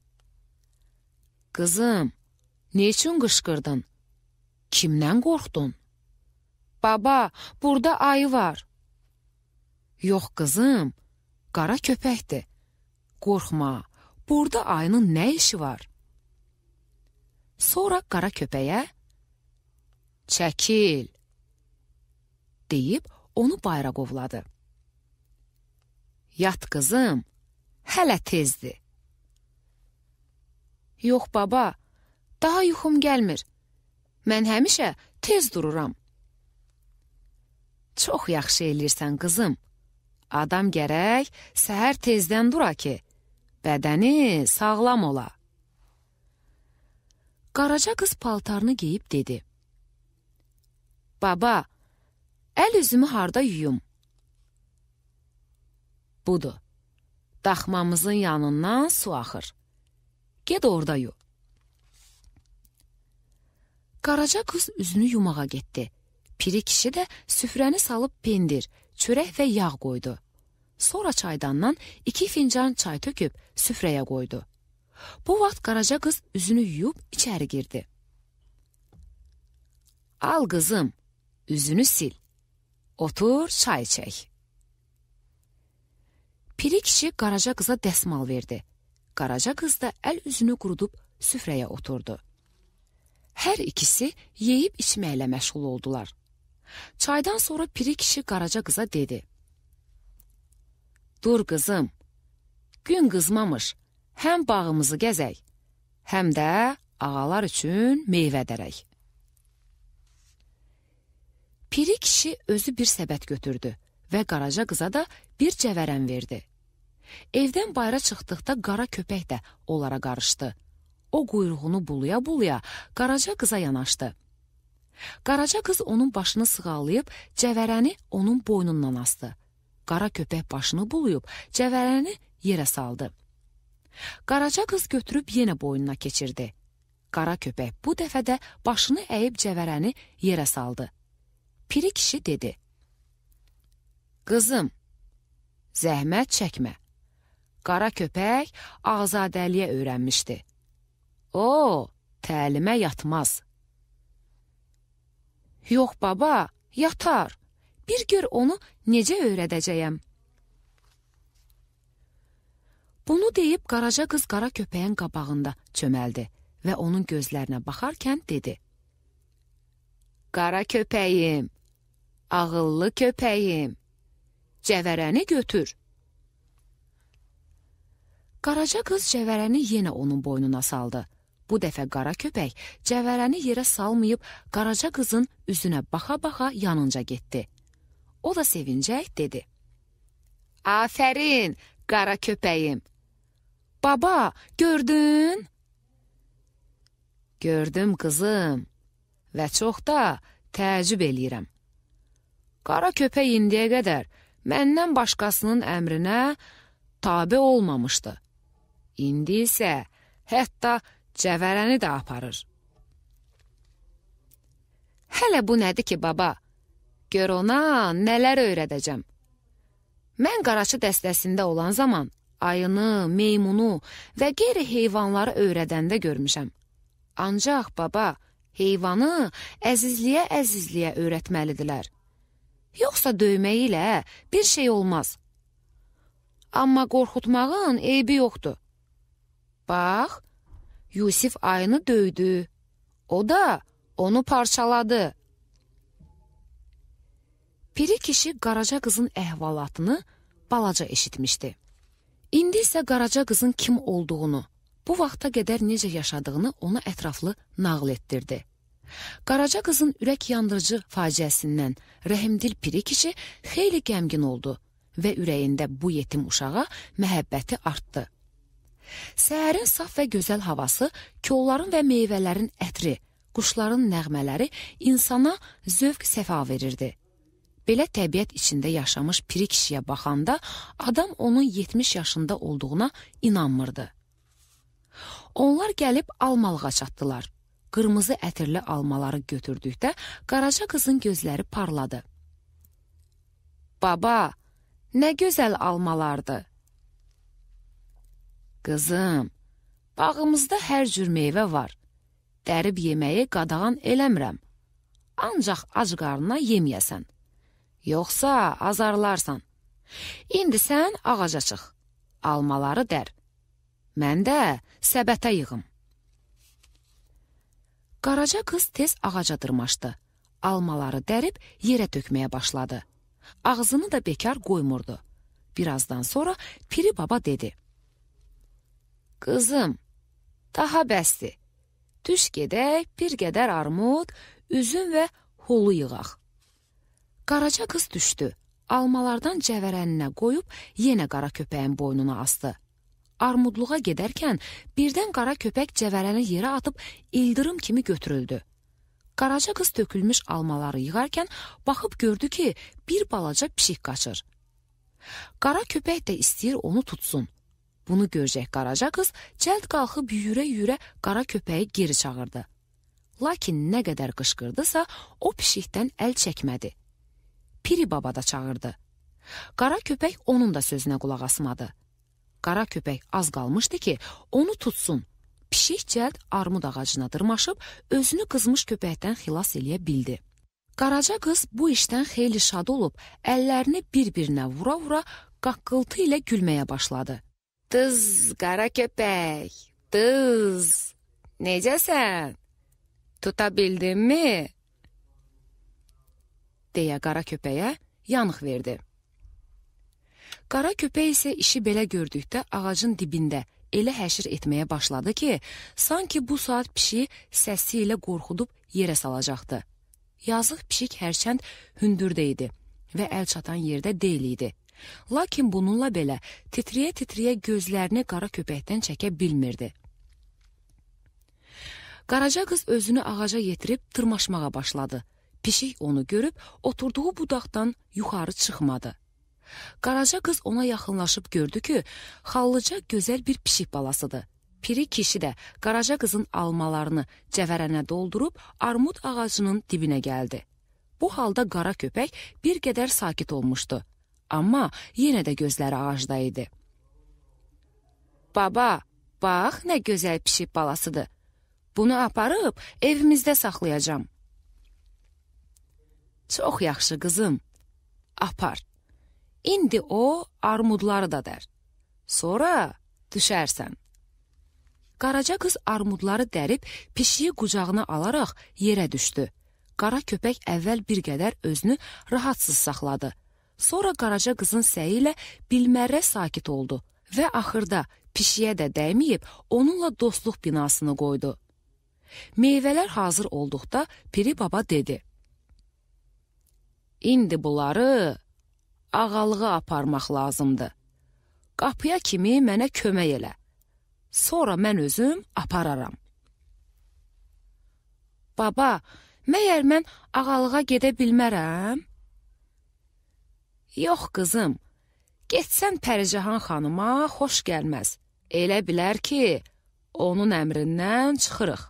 Qızım, nə üçün qışqırdın? Kimdən qorxdun? Baba, burada ayı var. Yox qızım, qara köpəkdir. Qorxma, burada ayının nə işi var? Sonra qara köpəyə çəkil deyib onu bayıra qovladı. Yat qızım, hələ tezdir. Yox baba, daha yuxum gəlmir. Mən həmişə tez dururam. Çox yaxşı eləyirsən qızım. Adam gərək səhər tezdən dura ki, bədəni sağlam ola. Qaraca qız paltarını geyib dedi. Baba, əl üzümü harda yuyum? Budur, daxmamızın yanından su axır. Ged orada yu. Qaraca qız üzünü yumağa getdi. Piri kişi də süfrəni salıb pendir, çörək və yağ qoydu. Sonra çaydandan iki fincan çay töküb süfrəyə qoydu. Bu vaxt Qaraca qız üzünü yuyub içəri girdi. Al qızım, üzünü sil. Otur, çay içək. Piri kişi Qaraca qıza dəsmal verdi. Qaraca qız da əl üzünü qurudub süfrəyə oturdu. Hər ikisi yeyib içməklə məşğul oldular. Çaydan sonra Piri kişi Qaraca qıza dedi: "Dur qızım, gün qızmamış, həm bağımızı gəzək, həm də ağalar üçün meyvə dərək." Piri kişi özü bir səbət götürdü və Qaraca qıza da bir cəvərən verdi. Evdən bayıra çıxdıqda qara köpək də onlara qarışdı. O quyruğunu buluya-buluya Qaraca qıza yanaşdı. Qaraca qız onun başını sığallayıb cəvərəni onun boynundan asdı. Qara köpək başını buluyub cəvərəni yerə saldı. Qaraca qız götürüb yenə boynuna keçirdi. Qara köpək bu dəfə də başını əyib cəvərəni yerə saldı. Piri kişi dedi: "Qızım, zəhmət çəkmə. Qara köpək azadəliyə öyrənmişdi. O, təlimə yatmaz." "Yox baba, yatar. Bir gör onu necə öyrədəcəyəm." Bunu deyib Qaraca qız qara köpəyin qabağında çöməldi və onun gözlərinə baxarkən dedi: "Qara köpəyim, ağıllı köpəyim, cəvərəni götür." Qaraca qız cəvərəni yenə onun boynuna saldı. Bu dəfə qara köpək cəvərəni yerə salmayıb Qaraca qızın üzünə baxa-baxa yanınca getdi. O da sevincək dedi: "Afərin, qara köpəyim. Baba, gördün?" "Gördüm qızım və çox da təəccüb eləyirəm. Qara köpək indiyə qədər məndən başqasının əmrinə tabe olmamışdı. İndi isə hətta cəvərəni də aparır." "Hələ bu nədir ki, baba? Gör ona nələr öyrədəcəm. Mən qaraçı dəstəsində olan zaman ayını, meymunu və qeyri heyvanları öyrədəndə görmüşəm. Ancaq baba, heyvanı əzizliyə-əzizliyə öyrətməlidirlər. Yoxsa döymək ilə bir şey olmaz. Amma qorxutmağın eybi yoxdur. Bax, Yusif ayını döydü. O da onu parçaladı." Piri kişi Qaraca qızın əhvalatını balaca eşitmişdi. İndi isə Qaraca qızın kim olduğunu, bu vaxta qədər necə yaşadığını ona ətraflı nağıl etdirdi. Qaraca qızın ürək yandırıcı faciəsindən rəhimdil Piri kişi xeyli qəmgin oldu və ürəyində bu yetim uşağa məhəbbəti artdı. Səhərin saf və gözəl havası, kolların və meyvələrin ətri, quşların nəğmələri insana zövq səfa verirdi. Belə təbiət içində yaşamış Piri kişiyə baxanda adam onun yetmiş yaşında olduğuna inanmırdı. Onlar gəlib almalığa çatdılar. Qırmızı ətirli almaları götürdükdə Qaraca qızın gözləri parladı. "Baba, nə gözəl almalardı." "Qızım, bağımızda hər cür meyvə var. Dərib yeməyi qadağan eləmirəm. Ancaq ac qarnına yeməyəsən. Yoxsa azarlarsan. İndi sən ağaca çıx, almaları dər. Mən də səbətə yığım." Qaraca qız tez ağaca dırmaşdı. Almaları dərib yerə tökməyə başladı. Ağzını da bekar qoymurdu. Birazdan sonra Piri baba dedi: "Qızım, daha bəsdir. Düş gedək, bir qədər armud, üzüm və holu yığaq." Qaraca qız düşdü. Almalardan cəvərəninə qoyub yenə qara köpəyin boynuna asdı. Armudluğa gedərkən birdən qara köpək cəvərəni yerə atıb ildırım kimi götürüldü. Qaraca qız tökülmüş almaları yığarkən baxıb gördü ki, bir balaca pişik qaçır. Qara köpək də istəyir onu tutsun. Bunu görəcək Qaraca qız cəld qalxıb yürə-yürə qara köpəyi geri çağırdı. Lakin nə qədər qışqırdısa, o pişikdən əl çəkmədi. Piri baba da çağırdı. Qara köpək onun da sözünə qulaq asmadı. Qara köpək az qalmışdı ki, onu tutsun. Pişik cəld armud ağacına dırmaşıb, özünü qızmış köpəkdən xilas eləyə bildi. Qaraca qız bu işdən xeyli şad olub, əllərini bir-birinə vura-vura qaqqıltı ilə gülməyə başladı. Dız, qara köpək, dız, necəsən? Tuta bildinmi? Deyə qara köpəyə yanıq verdi. Qara köpək isə işi belə gördükdə ağacın dibində elə həşir etməyə başladı ki, sanki bu saat pişiyi səsi ilə qorxudub yerə salacaqdı. Yazıq pişik hərçənd hündürdə idi və əl çatan yerdə deyil idi. Lakin bununla belə titriyə-titriyə gözlərini qara köpəkdən çəkə bilmirdi. Qaraca qız özünü ağaca yetirib tırmaşmağa başladı. Pişik onu görüb oturduğu budaqdan yuxarı çıxmadı. Qaraca qız ona yaxınlaşıb gördü ki, xallıca gözəl bir pişik balasıdır. Piri kişi də Qaraca qızın almalarını cəvərənə doldurub armud ağacının dibinə gəldi. Bu halda qara köpək bir qədər sakit olmuşdu. Amma yenə də gözləri ağacda idi. Baba, bax nə gözəl pişik balasıdır. Bunu aparıb evimizdə saxlayacağam. Çox yaxşı qızım, apar. İndi o armudları da dər. Sonra düşərsən. Qaraca qız armudları dərib pişiyi qucağına alaraq yerə düşdü. Qara köpək əvvəl bir qədər özünü rahatsız saxladı. Sonra Qaraca qızın səyi ilə bilmərrə sakit oldu və axırda pişiyə də dəyməyib onunla dostluq binasını qoydu. Meyvələr hazır olduqda Piri baba dedi: İndi bunları ağalığa aparmaq lazımdır. Qapıya kimi mənə kömək elə. Sonra mən özüm apararam. Baba, məyər mən ağalığa gedə bilmərəm? Yox qızım, getsən Pəricahan xanıma xoş gəlməz. Elə bilər ki, onun əmrindən çıxırıq.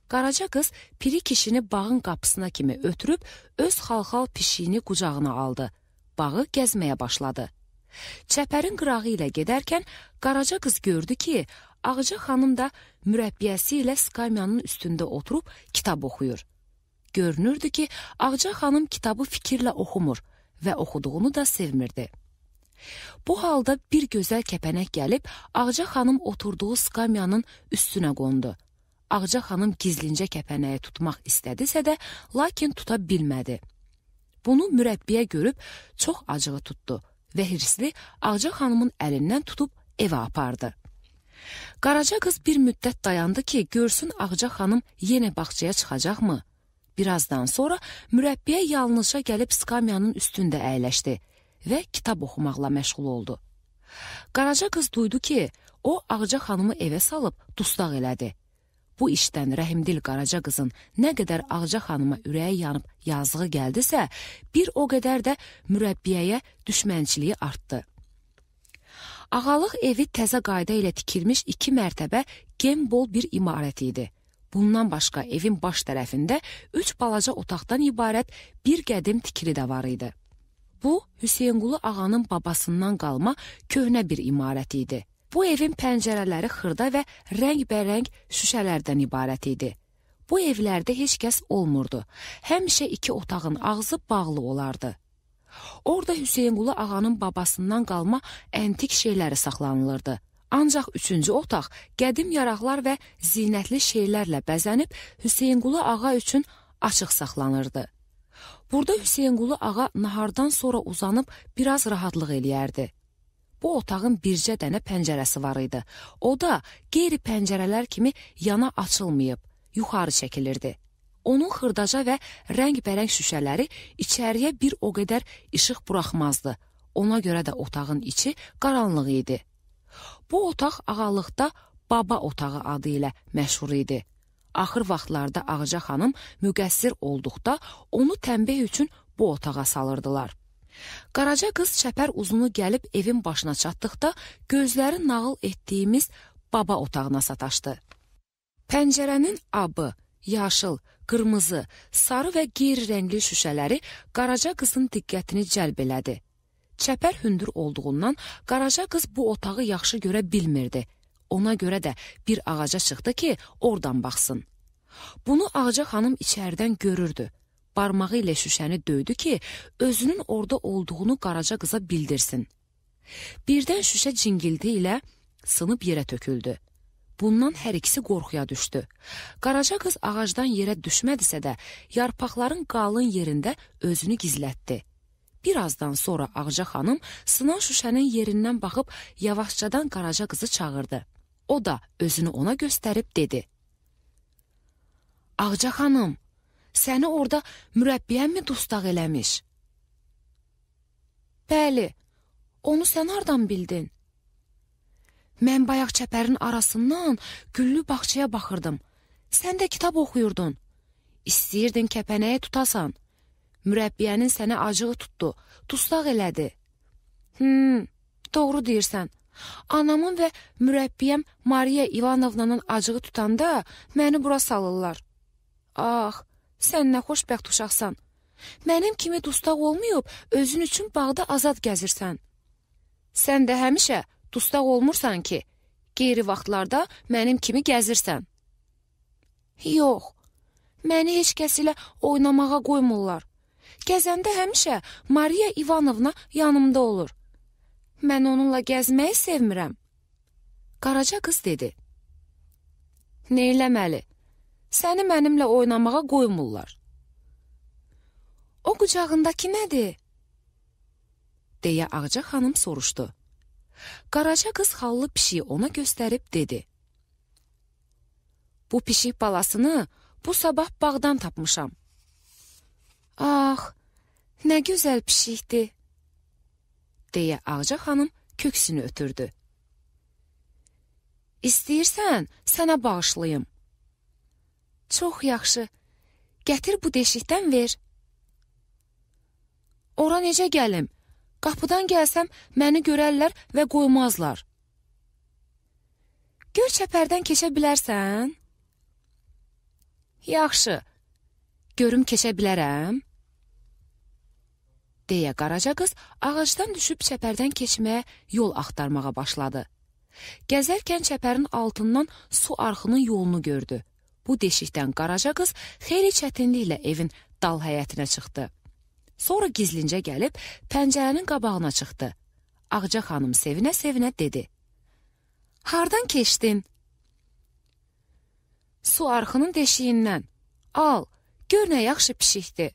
Qaraca qız Piri kişini bağın qapısına kimi ötürüb öz xalxal pişiyini qucağına aldı. Bağı gəzməyə başladı. Çəpərin qırağı ilə gedərkən Qaraca qız gördü ki, Ağca xanım da mürəbbiyəsi ilə skamyanın üstündə oturub kitab oxuyur. Görünürdü ki, Ağca xanım kitabı fikirlə oxumur və oxuduğunu da sevmirdi. Bu halda bir gözəl kəpənək gəlib Ağca xanım oturduğu skamyanın üstünə qondu. Ağca xanım gizlincə kəpənəyi tutmaq istədisə də, lakin tuta bilmədi. Bunu mürəbbiyə görüb çox acığı tutdu və hirsli Ağca xanımın əlindən tutub evə apardı. Qaraca qız bir müddət dayandı ki, görsün Ağca xanım yenə bağçaya çıxacaqmı? Birazdan sonra mürəbbiyə yalnızca gəlib skamyanın üstündə əyləşdi və kitab oxumaqla məşğul oldu. Qaraca qız duydu ki, o Ağca xanımı evə salıb dustaq elədi. Bu işdən rəhimdil Qaraca qızın nə qədər Ağca xanıma ürəyi yanıb yazığı gəldisə, bir o qədər də mürəbbiyəyə düşmənçiliyi artdı. Ağalıq evi təzə qayda ilə tikilmiş iki mərtəbə gembol bir imarət idi. Bundan başqa evin baş tərəfində üç balaca otaqdan ibarət bir qədim tikili də var idi. Bu, Hüseynqulu ağanın babasından qalma köhnə bir imarət idi. Bu evin pəncərələri xırda və rəngbərəng şüşələrdən ibarət idi. Bu evlərdə heç kəs olmurdu. Həmişə iki otağın ağzı bağlı olardı. Orada Hüseynqulu ağanın babasından qalma əntik şeyləri saxlanılırdı. Ancaq üçüncü otaq qədim yaraqlar və zinətli şeylərlə bəzənib Hüseynqulu ağa üçün açıq saxlanırdı. Burada Hüseynqulu ağa nahardan sonra uzanıb biraz rahatlıq eləyərdi. Bu otağın bircə dənə pəncərəsi var idi. O da qeyri-pəncərələr kimi yana açılmayıb, yuxarı çəkilirdi. Onun xırdaca və rəngbərəng şüşələri içəriyə bir o qədər işıq buraxmazdı. Ona görə də otağın içi qaranlıq idi. Bu otaq ağalıqda baba otağı adı ilə məşhur idi. Axır vaxtlarda Ağca xanım müqəssir olduqda onu tənbih üçün bu otağa salırdılar. Qaraca qız çəpər uzunu gəlib evin başına çatdıqda gözləri nağıl etdiyimiz baba otağına sataşdı. Pəncərənin abı, yaşıl, qırmızı, sarı və qeyri-rəngli şüşələri Qaraca qızın diqqətini cəlb elədi. Çəpər hündür olduğundan Qaraca qız bu otağı yaxşı görə bilmirdi. Ona görə də bir ağaca çıxdı ki, oradan baxsın. Bunu Ağca xanım içəridən görürdü. Barmağı ilə şüşəni döydü ki, özünün orada olduğunu Qaraca qıza bildirsin. Birdən şüşə cingildi ilə Sınıb yerə töküldü. Bundan hər ikisi qorxuya düşdü. Qaraca qız ağacdan yerə düşmədisə də, yarpaqların qalın yerində özünü gizlətdi. Birazdan sonra Ağca xanım sınan şüşənin yerindən baxıb yavaşcadan Qaraca qızı çağırdı. O da özünü ona göstərib dedi. Ağca xanım, səni orada mürəbbiyən mi dustaq eləmiş? Bəli, onu sən hardan bildin? Mən bayaq çəpərin arasından güllü bağçaya baxırdım. Sən də kitab oxuyurdun. İstəyirdin kəpənəyə tutasan. Mürəbbiyənin sənə acığı tutdu, dustaq elədi. Hmm, doğru deyirsən. Anamın və mürəbbiyəm Mariya İvanovnanın acığı tutanda məni bura salırlar. Ah, sən nə xoşbəxt uşaqsan. Mənim kimi dustaq olmayıb, özün üçün bağda azad gəzirsən. Sən də həmişə dustaq olmursan ki, qeyri vaxtlarda mənim kimi gəzirsən. Yox, məni heç kəs ilə oynamağa qoymurlar. Gəzəndə həmişə Mariya İvanovna yanımda olur. Mən onunla gəzməyi sevmirəm. Qaraca qız dedi. Neyləməli? Səni mənimlə oynamağa qoymurlar. O qucağındakı nədir? Deyə Ağca xanım soruşdu. Qaraca qız xallı pişiyi ona göstərib dedi. Bu pişik balasını bu sabah bağdan tapmışam. Ah, nə gözəl pişikdir, deyə Ağca xanım köksünü ötürdü. İstəyirsən, sənə bağışlayım. Çox yaxşı, gətir bu deşikdən ver. Ora necə gəlim? Qapıdan gəlsəm, məni görərlər və qoymazlar. Gör çəpərdən keçə bilərsən? Yaxşı, görüm keçə bilərəm? Deyə Qaraca qız ağacdan düşüb çəpərdən keçməyə yol axtarmağa başladı. Gəzərkən çəpərin altından su arxının yolunu gördü. Bu deşikdən Qaraca qız xeyli çətinliklə evin dal həyətinə çıxdı. Sonra gizlincə gəlib pəncərənin qabağına çıxdı. Ağca xanım sevinə-sevinə dedi. Hardan keçdin? Su arxının deşiyindən. Al, gör nə yaxşı pişikdir.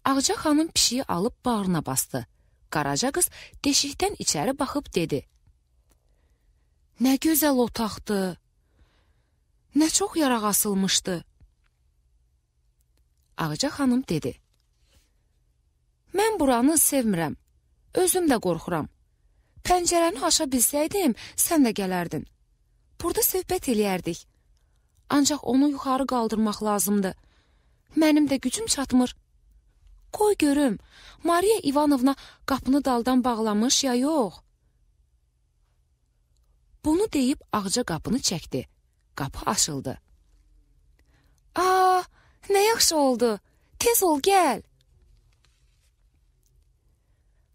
Ağca xanım pişiyi alıb bağrına bastı. Qaraca qız deşikdən içəri baxıb dedi. Nə gözəl otaqdır. Nə çox yaraq asılmışdı. Ağca xanım dedi. Mən buranı sevmirəm. Özüm də qorxuram. Pəncərəni aşa bilsəydim, sən də gələrdin. Burada söhbət eləyərdik. Ancaq onu yuxarı qaldırmaq lazımdır. Mənim də gücüm çatmır. Qoy görüm, Mariya İvanovna qapını daldan bağlamış ya yox? Bunu deyib Ağca qapını çəkdi. Qapı açıldı. Aa, nə yaxşı oldu. Tez ol, gəl.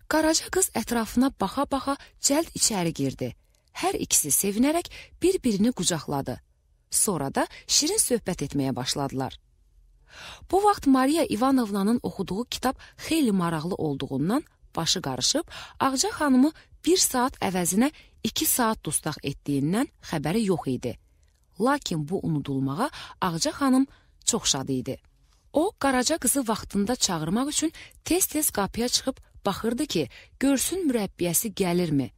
Qaraca qız ətrafına baxa-baxa cəld içəri girdi. Hər ikisi sevinərək bir-birini qucaqladı. Sonra da şirin söhbət etməyə başladılar. Bu vaxt Mariya İvanovnanın oxuduğu kitab xeyli maraqlı olduğundan başı qarışıb, Ağca xanımı bir saat əvəzinə iki saat dustaq etdiyindən xəbəri yox idi. Lakin bu unudulmağa Ağca xanım çox şad idi. O, Qaraca qızı vaxtında çağırmaq üçün tez-tez qapıya çıxıb baxırdı ki, görsün mürəbbiyəsi gəlirmi?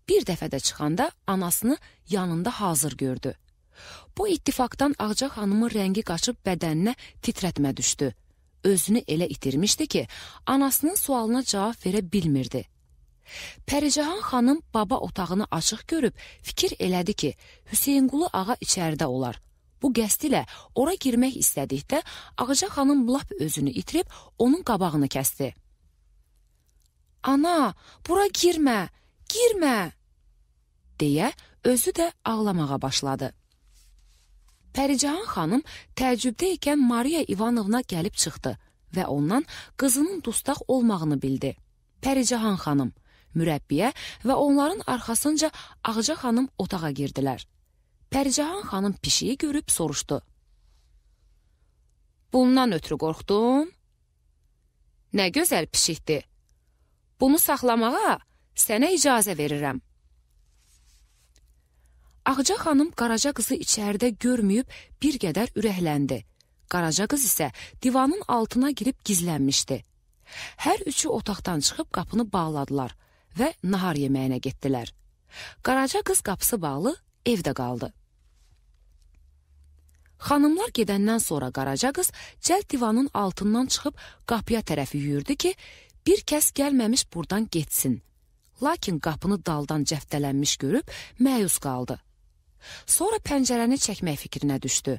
Bir dəfə də çıxanda anasını yanında hazır gördü. Bu ittifaqdan Ağca xanımın rəngi qaçıb bədəninə titrətmə düşdü. Özünü elə itirmişdi ki, anasının sualına cavab verə bilmirdi. Pəricahan xanım baba otağını açıq görüb fikir elədi ki, Hüseynqulu ağa içəridə olar. Bu qəsd ilə ora girmək istədikdə Ağca xanım lap özünü itirib onun qabağını kəsdi. Ana, bura girmə, girmə, deyə özü də ağlamağa başladı. Pəricahan xanım təəccübdə ikən Mariya İvanovna gəlib çıxdı və ondan qızının dustaq olmağını bildi. Pəricahan xanım, mürəbbiyə və onların arxasınca Ağca xanım otağa girdilər. Pəricahan xanım pişiyi görüb soruşdu. Bundan ötürü qorxdun? Nə gözəl pişikdir. Bunu saxlamağa Sənə icazə verirəm. Ağca xanım Qaraca qızı içəridə görməyib bir qədər ürəkləndi. Qaraca qız isə divanın altına girib gizlənmişdi. Hər üçü otaqdan çıxıb qapını bağladılar və nahar yeməyinə getdilər. Qaraca qız qapısı bağlı evdə qaldı. Xanımlar gedəndən sonra Qaraca qız cəld divanın altından çıxıb qapıya tərəf yüyürdü ki, bir kəs gəlməmiş buradan getsin. Lakin qapını daldan cəftələnmiş görüb məyus qaldı. Sonra pəncərəni çəkmək fikrinə düşdü.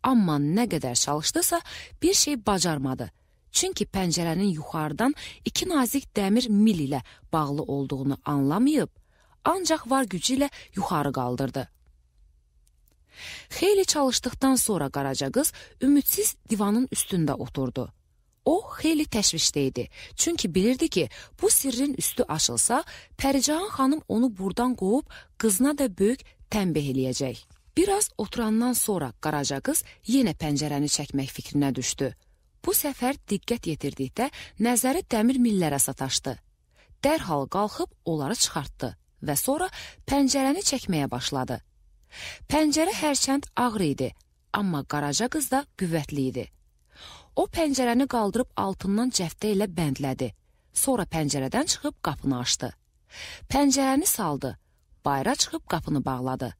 Amma nə qədər çalışdısa bir şey bacarmadı. Çünki pəncərənin yuxarıdan iki nazik dəmir mil ilə bağlı olduğunu anlamayıb, ancaq var gücü ilə yuxarı qaldırdı. Xeyli çalışdıqdan sonra Qaraca qız ümidsiz divanın üstündə oturdu. O, xeyli təşvişdə idi, çünki bilirdi ki, bu sirrin üstü açılsa, Pəricahan xanım onu buradan qovub qızına da böyük tənbih eləyəcək. Biraz oturandan sonra Qaraca qız yenə pəncərəni çəkmək fikrinə düşdü. Bu səfər diqqət yetirdikdə nəzəri dəmir millərə sataşdı. Dərhal qalxıb onları çıxartdı və sonra pəncərəni çəkməyə başladı. Pəncərə hərçənd ağır idi, amma Qaraca qız da qüvvətli idi. O pəncərəni qaldırıb altından cəftə ilə bəndlədi. Sonra pəncərədən çıxıb qapını açdı. Pəncərəni saldı, bayıra çıxıb qapını bağladı.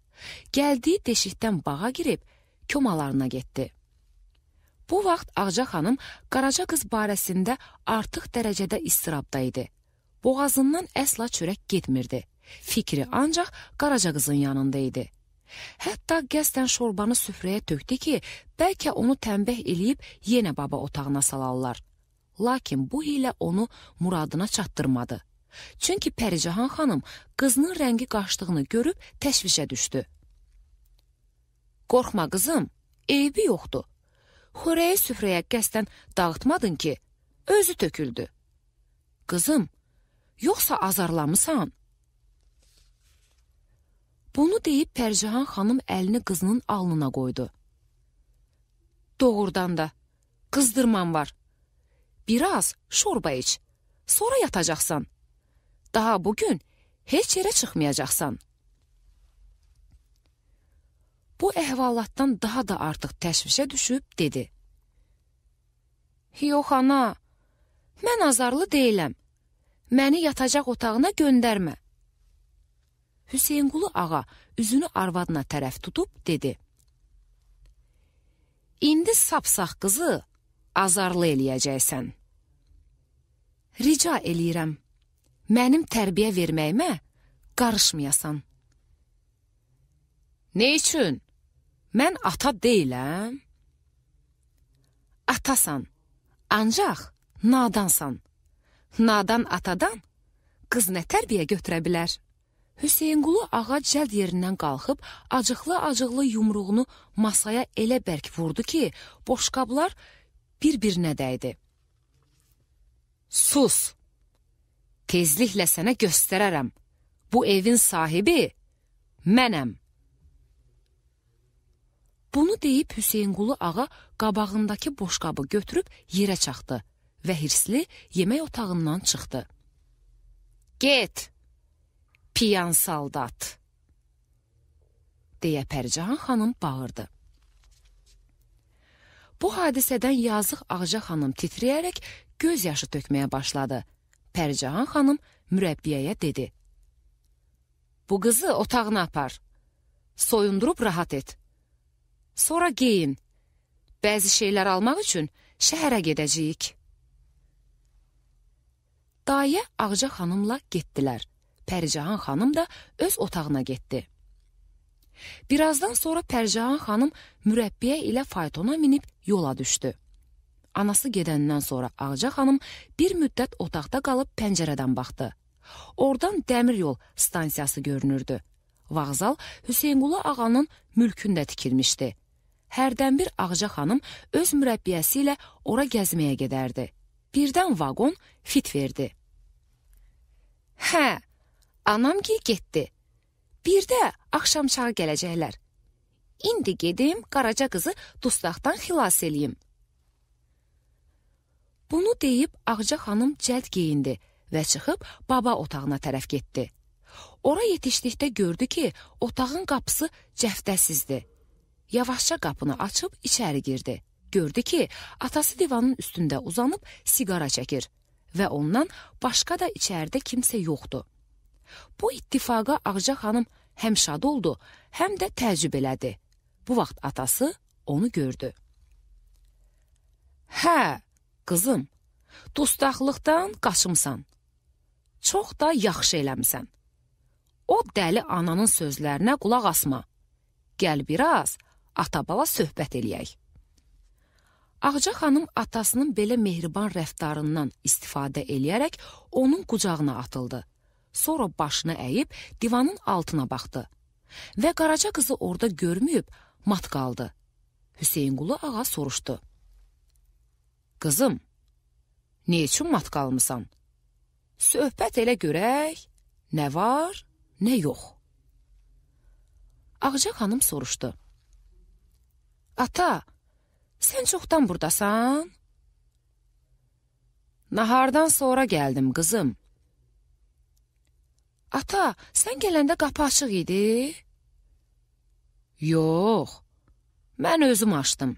Gəldiyi deşikdən bağa girib komalarına getdi. Bu vaxt Ağca xanım Qaraca qız barəsində artıq dərəcədə istirabda idi. Boğazından əsla çörək getmirdi. Fikri ancaq Qaraca qızın yanında idi. Hətta qəsdən şorbanı süfrəyə tökdü ki, bəlkə onu tənbih eləyib yenə baba otağına salarlar. Lakin bu ilə onu muradına çatdırmadı. Çünki Pəricahan xanım qızının rəngi qaçdığını görüb təşvişə düşdü. Qorxma qızım, eybi yoxdur. Xörəyi süfrəyə qəsdən dağıtmadın ki, özü töküldü. Qızım, yoxsa azarlamısan? Bunu deyib Pəricahan xanım əlini qızının alnına qoydu. Doğrudan da, qızdırman var. Biraz şorba iç, sonra yatacaqsan. Daha bugün heç yerə çıxmayacaqsan. Bu əhvalatdan daha da artıq təşvişə düşüb dedi. Yox ana, mən azarlı deyiləm. Məni yatacaq otağına göndərmə. Hüseynqulu ağa üzünü arvadına tərəf tutub dedi. İndi sapsaq qızı azarlı eləyəcəksən. Rica eləyirəm, mənim tərbiyə verməyimə qarışmayasan. Nə üçün? Mən ata deyiləm. Atasan, ancaq nadansan. Nadan atadan qız nə tərbiyə götürə bilər? Hüseynqulu ağa cəld yerindən qalxıb, acıqlı-acıqlı yumruğunu masaya elə bərk vurdu ki, boşqablar bir-birinə dəydi. Sus! Tezliklə sənə göstərərəm. Bu evin sahibi mənəm. Bunu deyib Hüseynqulu ağa qabağındakı boşqabı götürüb yerə çaxdı və hirsli yemək otağından çıxdı. Get! Piyan saldat, deyə Pəricahan xanım bağırdı. Bu hadisədən yazıq Ağca xanım titrəyərək göz yaşı tökməyə başladı. Pəricahan xanım mürəbbiyəyə dedi. Bu qızı otağına apar, soyundurub rahat et. Sonra geyin, bəzi şeylər almaq üçün şəhərə gedəcəyik. Dayə Ağca xanımla getdilər. Pəricahan xanım da öz otağına getdi. Birazdan sonra Pəricahan xanım mürəbbiyə ilə faytona minib yola düşdü. Anası gedəndən sonra Ağca xanım bir müddət otaqda qalıb pəncərədən baxdı. Oradan dəmir yol stansiyası görünürdü. Vağzal Hüseynqulu ağanın mülkündə tikilmişdi. Hərdən bir Ağca xanım öz mürəbbiyəsi ilə ora gəzməyə gedərdi. Birdən vaqon fit verdi. Hə, anam gil getdi. Bir də axşamçağı gələcəklər. İndi gedim Qaraca qızı dustaqdan xilas eləyim. Bunu deyib Ağca xanım cəld geyindi və çıxıb baba otağına tərəf getdi. Ora yetişdikdə gördü ki, otağın qapısı cəftəsizdir. Yavaşca qapını açıb içəri girdi. Gördü ki, atası divanın üstündə uzanıb siqara çəkir və ondan başqa da içəridə kimsə yoxdur. Bu ittifaqa Ağca xanım həm şad oldu, həm də təəccüb elədi. Bu vaxt atası onu gördü. Hə, qızım, dustaqlıqdan qaçımsan. Çox da yaxşı eləmisən. O dəli ananın sözlərinə qulaq asma. Gəl biraz ata-bala söhbət eləyək. Ağca xanım atasının belə mehriban rəftarından istifadə eləyərək onun qucağına atıldı. Sonra başını əyib divanın altına baxdı və Qaraca qızı orada görməyib mat qaldı. Hüseynqulu ağa soruşdu. Qızım, ne üçün mat qalmısan? Söhbət elə görək, nə var, nə yox. Ağca xanım soruşdu. Ata, sən çoxdan buradasan? Nahardan sonra gəldim, qızım. Ata, sən gələndə qapı açıq idi? Yox, mən özüm açdım.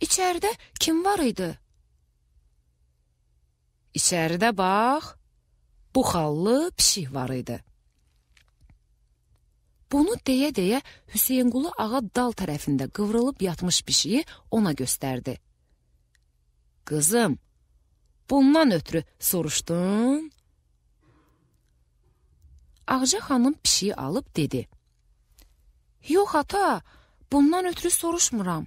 İçəridə kim var idi? İçəridə bax, bu xallı pişik var idi. Bunu deyə-deyə Hüseynqulu ağa dal tərəfində qıvrılıb yatmış pişiyi ona göstərdi. Qızım, bundan ötürü soruşdun? Ağca xanım pişiyi alıb dedi. Yox ata, bundan ötürü soruşmuram.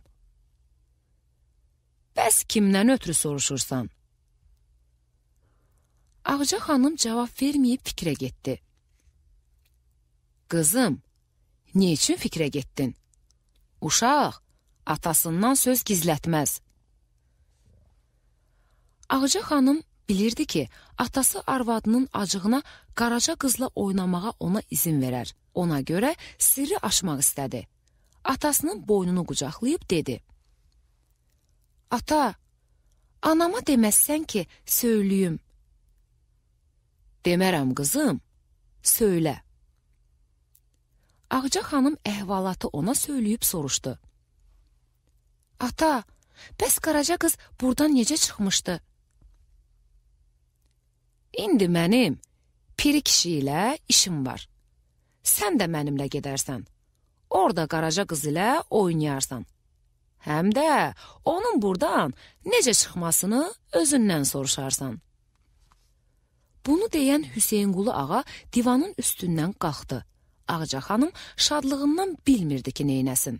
Bəs kimdən ötürü soruşursan? Ağca xanım cavab verməyib fikrə getdi. Qızım, ne üçün fikrə getdin? Uşaq, atasından söz gizlətməz. Ağca xanım bilirdi ki, atası arvadının acığına Qaraca qızla oynamağa ona izin verər. Ona görə sirri aşmaq istədi. Atasının boynunu qucaqlayıb dedi. Ata, anama deməzsən ki, söyləyim. Demərəm qızım, söylə. Ağca xanım əhvalatı ona söyləyib soruşdu. Ata, bəs Qaraca qız buradan necə çıxmışdı? İndi mənim piri kişi ilə işim var. Sən də mənimlə gedərsən. Orada Qaraca qız ilə oynayarsan. Həm də onun buradan necə çıxmasını özündən soruşarsan. Bunu deyən Hüseynqulu ağa divanın üstündən qalxdı. Ağca xanım şadlığından bilmirdi ki, neynəsin.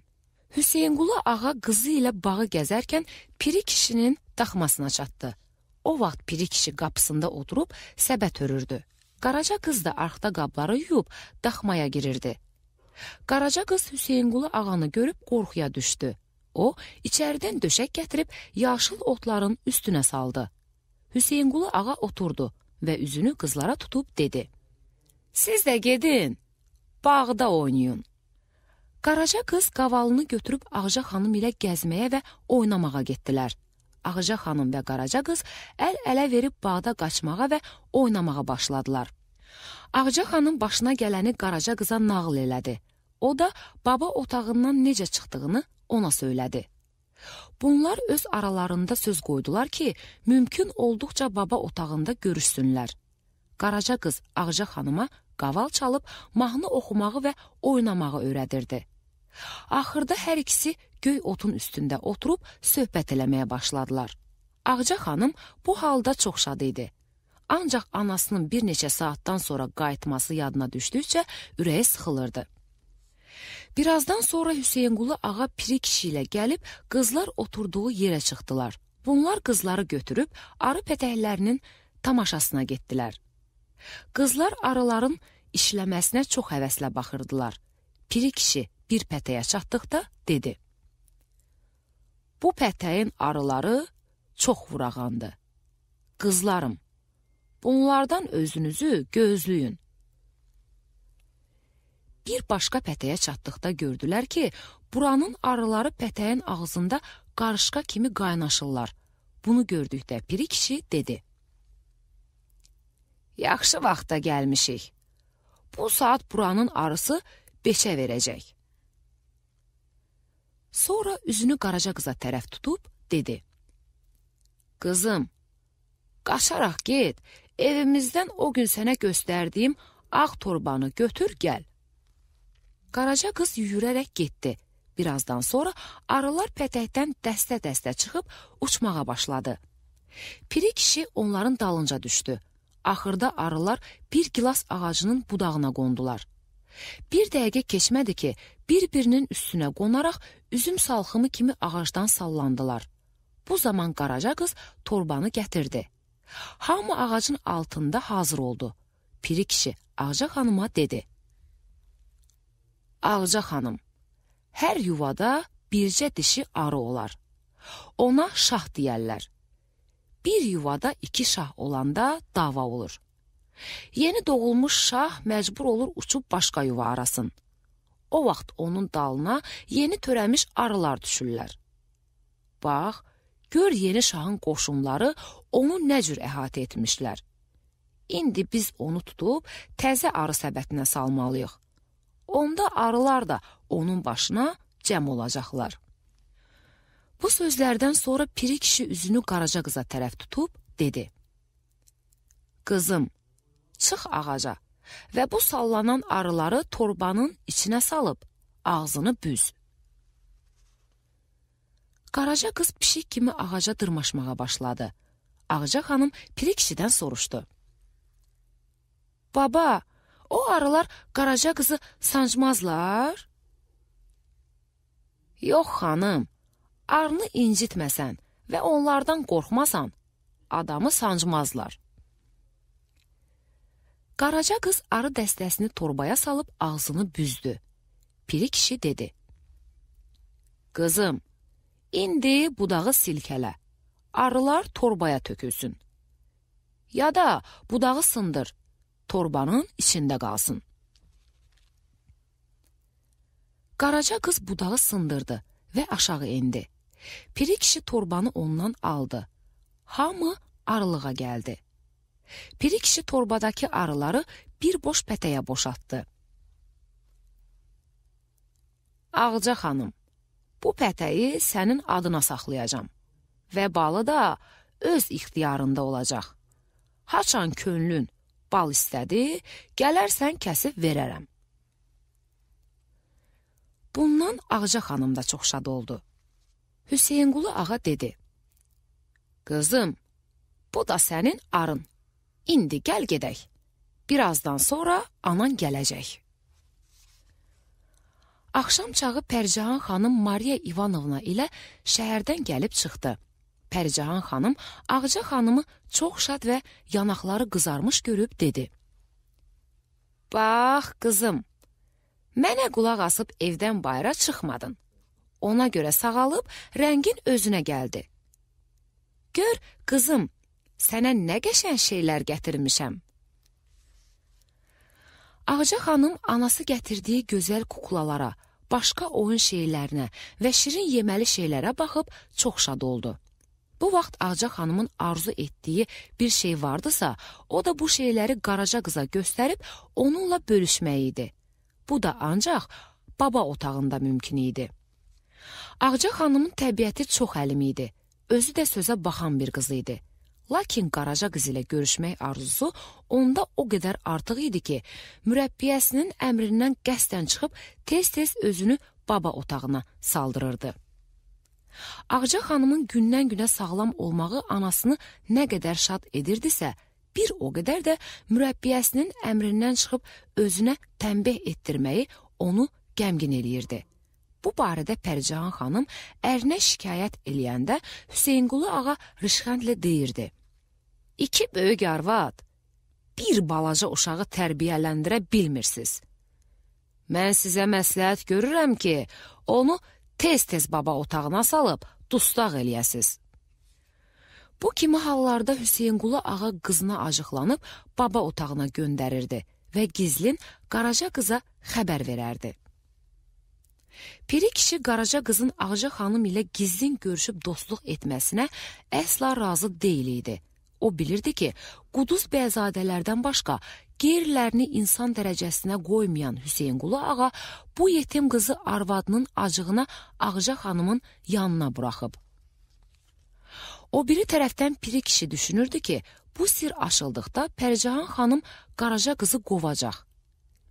Hüseynqulu ağa qızı ilə bağı gəzərkən piri kişinin daxmasına çatdı. O vaxt piri kişi qapısında oturub səbət örürdü. Qaraca qız da arxda qabları yuyub daxmaya girirdi. Qaraca qız Hüseynqulu ağanı görüb qorxuya düşdü. O, içəridən döşək gətirib yaşıl otların üstünə saldı. Hüseynqulu ağa oturdu və üzünü qızlara tutub dedi. Siz də gedin, bağda oynayın. Qaraca qız qavalını götürüb Ağca xanım ilə gəzməyə və oynamağa getdilər. Ağca xanım və Qaraca qız əl-ələ verib bağda qaçmağa və oynamağa başladılar. Ağca xanım başına gələni Qaraca qıza nağıl elədi. O da baba otağından necə çıxdığını ona söylədi. Bunlar öz aralarında söz qoydular ki, mümkün olduqca baba otağında görüşsünlər. Qaraca qız Ağca xanıma qaval çalıb mahnı oxumağı və oynamağı öyrədirdi. Axırda hər ikisi göy otun üstündə oturub söhbət eləməyə başladılar. Ağca xanım bu halda çox şad idi. Ancaq anasının bir neçə saatdan sonra qayıtması yadına düşdükcə ürəyi sıxılırdı. Birazdan sonra Hüseynqulu ağa piri kişi ilə gəlib qızlar oturduğu yerə çıxdılar. Bunlar qızları götürüb arı pətəklərinin tamaşasına getdilər. Qızlar arıların işləməsinə çox həvəslə baxırdılar. Piri kişi bir pətəyə çatdıqda dedi. Bu pətəyin arıları çox vurağandı. Qızlarım, bunlardan özünüzü gözləyin. Bir başqa pətəyə çatdıqda gördülər ki, buranın arıları pətəyin ağzında qarışqa kimi qaynaşırlar. Bunu gördükdə piri kişi dedi. yaxşı vaxtda gəlmişik. Bu saat buranın arısı beşə verəcək. Sonra üzünü Qaraca qıza tərəf tutub dedi. Qızım, qaçaraq get, evimizdən o gün sənə göstərdiyim ağ torbanı götür gəl. Qaraca qız yüyürərək getdi. Birazdan sonra arılar pətəkdən dəstə-dəstə çıxıb uçmağa başladı. Piri kişi onların dalınca düşdü. Axırda arılar bir gilas ağacının budağına qondular. Bir dəqiqə keçmədi ki, bir-birinin üstünə qonaraq üzüm salxımı kimi ağacdan sallandılar. Bu zaman Qaraca qız torbanı gətirdi. Hamı ağacın altında hazır oldu. Piri kişi Ağca xanıma dedi. Ağca xanım, hər yuvada bircə dişi arı olar. Ona şah deyərlər. Bir yuvada iki şah olanda dava olur. Yeni doğulmuş şah məcbur olur uçub başqa yuva arasın. O vaxt onun dalına yeni törəmiş arılar düşürlər. Bax, gör yeni şahın qoşunları onu nə cür əhatə etmişlər. İndi biz onu tutub təzə arı səbətinə salmalıyıq. Onda arılar da onun başına cəm olacaqlar. Bu sözlərdən sonra Piri kişi üzünü Qaraca qıza tərəf tutub dedi. Qızım, çıx ağaca və bu sallanan arıları torbanın içinə salıb ağzını büz. Qaraca qız pişik kimi ağaca dırmaşmağa başladı. Ağca xanım Piri kişidən soruşdu. Baba, o arılar Qaraca qızı sancmazlar? Yox xanım, arını incitməsən və onlardan qorxmasan, adamı sancmazlar. Qaraca qız arı dəstəsini torbaya salıb ağzını büzdü. Piri kişi dedi. Qızım, indi budağı silkələ, arılar torbaya tökülsün. Ya da budağı sındır, torbanın içində qalsın. Qaraca qız budağı sındırdı və aşağı indi. Piri kişi torbanı ondan aldı. Hamı arılığa gəldi. Piri kişi torbadakı arıları bir boş pətəyə boşaltdı. Ağca xanım, bu pətəyi sənin adına saxlayacam və balı da öz ixtiyarında olacaq. Haçan könlün bal istədi, gələrsən kəsib verərəm. Bundan Ağca xanım da çox şad oldu. Hüseynqulu ağa dedi. Qızım, bu da sənin arın. İndi gəl gedək. Birazdan sonra anan gələcək. Axşam çağı Pərcahan xanım Mariya İvanovna ilə şəhərdən gəlib çıxdı. Pərcahan xanım Ağca xanımı çox şad və yanaqları qızarmış görüb dedi. Bax, qızım, mənə qulaq asıb evdən bayıra çıxmadın. Ona görə sağalıb rəngin özünə gəldi. Gör, qızım, sənə nə qəşəng şeylər gətirmişəm. Ağca xanım anası gətirdiyi gözəl kuklalara, başqa oyun şeylərinə və şirin yeməli şeylərə baxıb çox şad oldu. Bu vaxt Ağca xanımın arzu etdiyi bir şey vardısa, o da bu şeyləri Qaraca qıza göstərib onunla bölüşmək idi. Bu da ancaq baba otağında mümkün idi. Ağca xanımın təbiəti çox əlim idi. Özü də sözə baxan bir qız idi. Lakin Qaraca qız ilə görüşmək arzusu onda o qədər artıq idi ki, mürəbbiyəsinin əmrindən qəsdən çıxıb tez-tez özünü baba otağına saldırırdı. Ağca xanımın gündən-günə sağlam olmağı anasını nə qədər şad edirdisə, bir o qədər də mürəbbiyəsinin əmrindən çıxıb özünə tənbih etdirməyi onu qəmgin eləyirdi. Bu barədə Pərcahan xanım ərinə şikayət eləyəndə Hüseynqulu ağa rışxəndlə deyirdi. İki böyük arvad, bir balaca uşağı tərbiyələndirə bilmirsiniz. Mən sizə məsləhət görürəm ki, onu tez-tez baba otağına salıb dustaq eləyəsiz. Bu kimi hallarda Hüseynqulu ağa qızına acıqlanıb baba otağına göndərirdi və gizlin Qaraca qıza xəbər verərdi. Piri kişi Qaraca qızın Ağca xanım ilə gizlin görüşüb dostluq etməsinə əsla razı deyil idi. O bilirdi ki, Quduz bəyzadələrdən başqa qeyrilərini insan dərəcəsinə qoymayan Hüseynqulu ağa bu yetim qızı arvadının acığına Ağca xanımın yanına buraxıb. O biri tərəfdən Piri kişi düşünürdü ki, bu sir açıldıqda Pərcahan xanım Qaraca qızı qovacaq.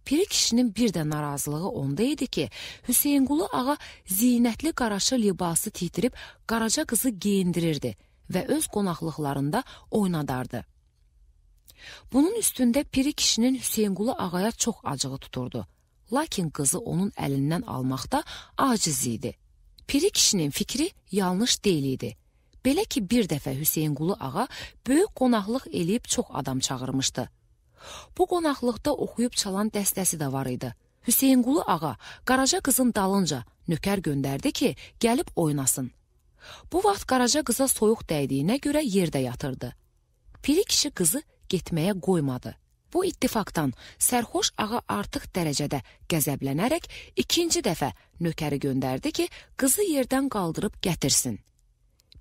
Piri kişinin bir də narazılığı onda idi ki, Hüseynqulu ağa zinətli qaraşı libası titirib Qaraca qızı geyindirirdi və öz qonaqlıqlarında oynadardı. Bunun üstündə Piri kişinin Hüseynqulu ağaya çox acığı tuturdu. Lakin qızı onun əlindən almaqda aciz idi. Piri kişinin fikri yanlış deyil idi. Belə ki, bir dəfə Hüseynqulu ağa böyük qonaqlıq eləyib çox adam çağırmışdı. Bu qonaqlıqda oxuyub çalan dəstəsi də var idi. Hüseynqulu ağa Qaraca qızın dalınca nökər göndərdi ki, gəlib oynasın. Bu vaxt Qaraca qıza soyuq dəydiyinə görə yerdə yatırdı. Piri kişi qızı getməyə qoymadı. Bu ittifaqdan sərxoş ağa artıq dərəcədə qəzəblənərək ikinci dəfə nökəri göndərdi ki, qızı yerdən qaldırıb gətirsin.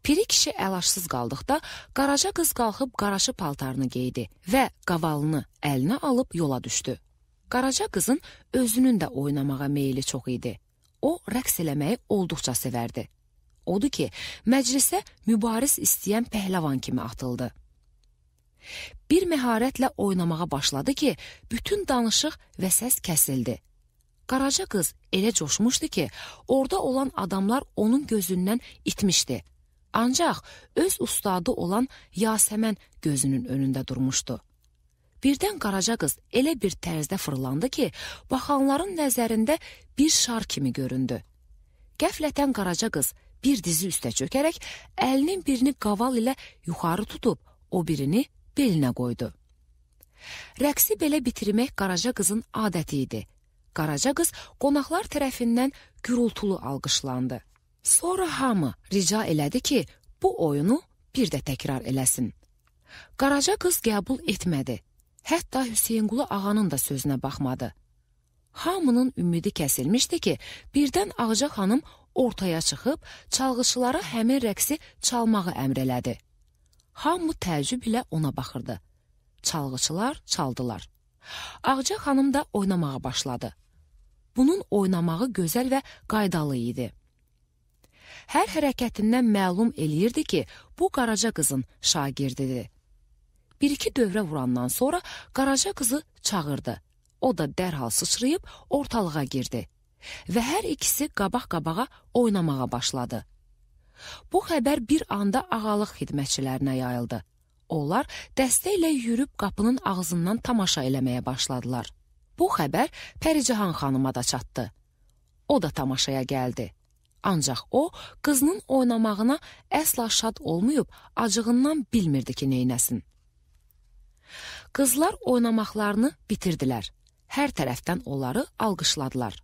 Piri kişi əlaşsız qaldıqda Qaraca qız qalxıb qaraşı paltarını geydi və qavalını əlinə alıb yola düşdü. Qaraca qızın özünün də oynamağa meyli çox idi. O, rəqs eləməyi olduqca sevərdi. Odur ki, məclisə mübariz istəyən pəhləvan kimi atıldı. Bir məharətlə oynamağa başladı ki, bütün danışıq və səs kəsildi. Qaraca qız elə coşmuşdu ki, orada olan adamlar onun gözündən itmişdi. Ancaq öz ustadı olan Yasəmən gözünün önündə durmuşdu. Birdən Qaraca qız elə bir tərzdə fırlandı ki, baxanların nəzərində bir şar kimi göründü. Qəflətən Qaraca qız bir dizi üstə çökərək, əlinin birini qaval ilə yuxarı tutub, o birini belinə qoydu. Rəqsi belə bitirmək Qaraca qızın adəti idi. Qaraca qız qonaqlar tərəfindən gürültülü alqışlandı. Sonra hamı rica elədi ki, bu oyunu bir də təkrar eləsin. Qaraca qız qəbul etmədi. Hətta Hüseynqulu ağanın da sözünə baxmadı. Hamının ümidi kəsilmişdi ki, birdən Ağca xanım ortaya çıxıb, çalğıçılara həmin rəqsi çalmağı əmr elədi. Hamı təəccüb ilə ona baxırdı. Çalğıçılar çaldılar. Ağca xanım da oynamağa başladı. Bunun oynamağı gözəl və qaydalı idi. Hər hərəkətindən məlum eləyirdi ki, bu Qaraca qızın şagirdidir. Bir-iki dövrə vurandan sonra Qaraca qızı çağırdı. O da dərhal sıçrayıb ortalığa girdi və hər ikisi qabaq-qabağa oynamağa başladı. Bu xəbər bir anda ağalıq xidmətçilərinə yayıldı. Onlar dəstə ilə yürüb qapının ağzından tamaşa eləməyə başladılar. Bu xəbər Pəricahan xanıma da çatdı. O da tamaşaya gəldi. Ancaq o, qızının oynamağına əsla şad olmayıb, acığından bilmirdi ki, neynəsin. Qızlar oynamaqlarını bitirdilər. Hər tərəfdən onları alqışladılar.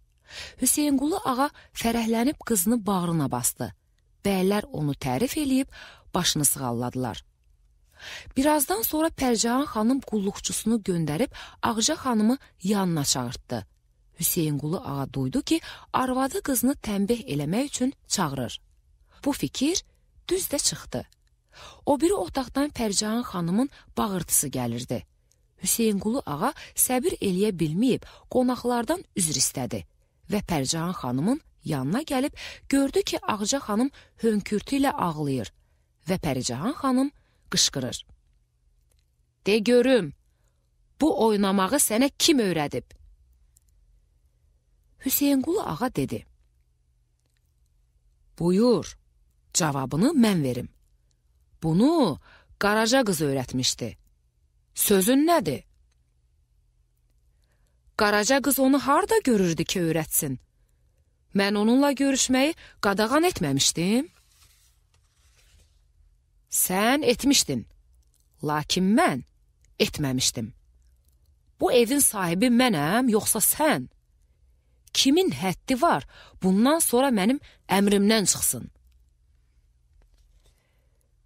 Hüseynqulu ağa fərəhlənib qızını bağrına bastı. Bəylər onu tərif eləyib, başını sığalladılar. Birazdan sonra Pərcahan xanım qulluqçusunu göndərib Ağca xanımı yanına çağırtdı. Hüseynqulu ağa duydu ki, arvadı qızını tənbih eləmək üçün çağırır. Bu fikir düz də çıxdı. O biri otaqdan Pərcahan xanımın bağırtısı gəlirdi. Hüseynqulu ağa səbir eləyə bilməyib qonaqlardan üzr istədi və Pərcahan xanımın yanına gəlib gördü ki, Ağca xanım hönkürtü ilə ağlayır və Pəricahan xanım qışqırır. De görüm, bu oynamağı sənə kim öyrədib? Hüseynqulu ağa dedi. Buyur, cavabını mən verim. Bunu Qaraca qız öyrətmişdi. Sözün nədir? Qaraca qız onu harda görürdü ki, öyrətsin? Mən onunla görüşməyi qadağan etməmişdim. Sən etmişdin, lakin mən etməmişdim. Bu evin sahibi mənəm, yoxsa sən? Kimin həddi var, bundan sonra mənim əmrimdən çıxsın.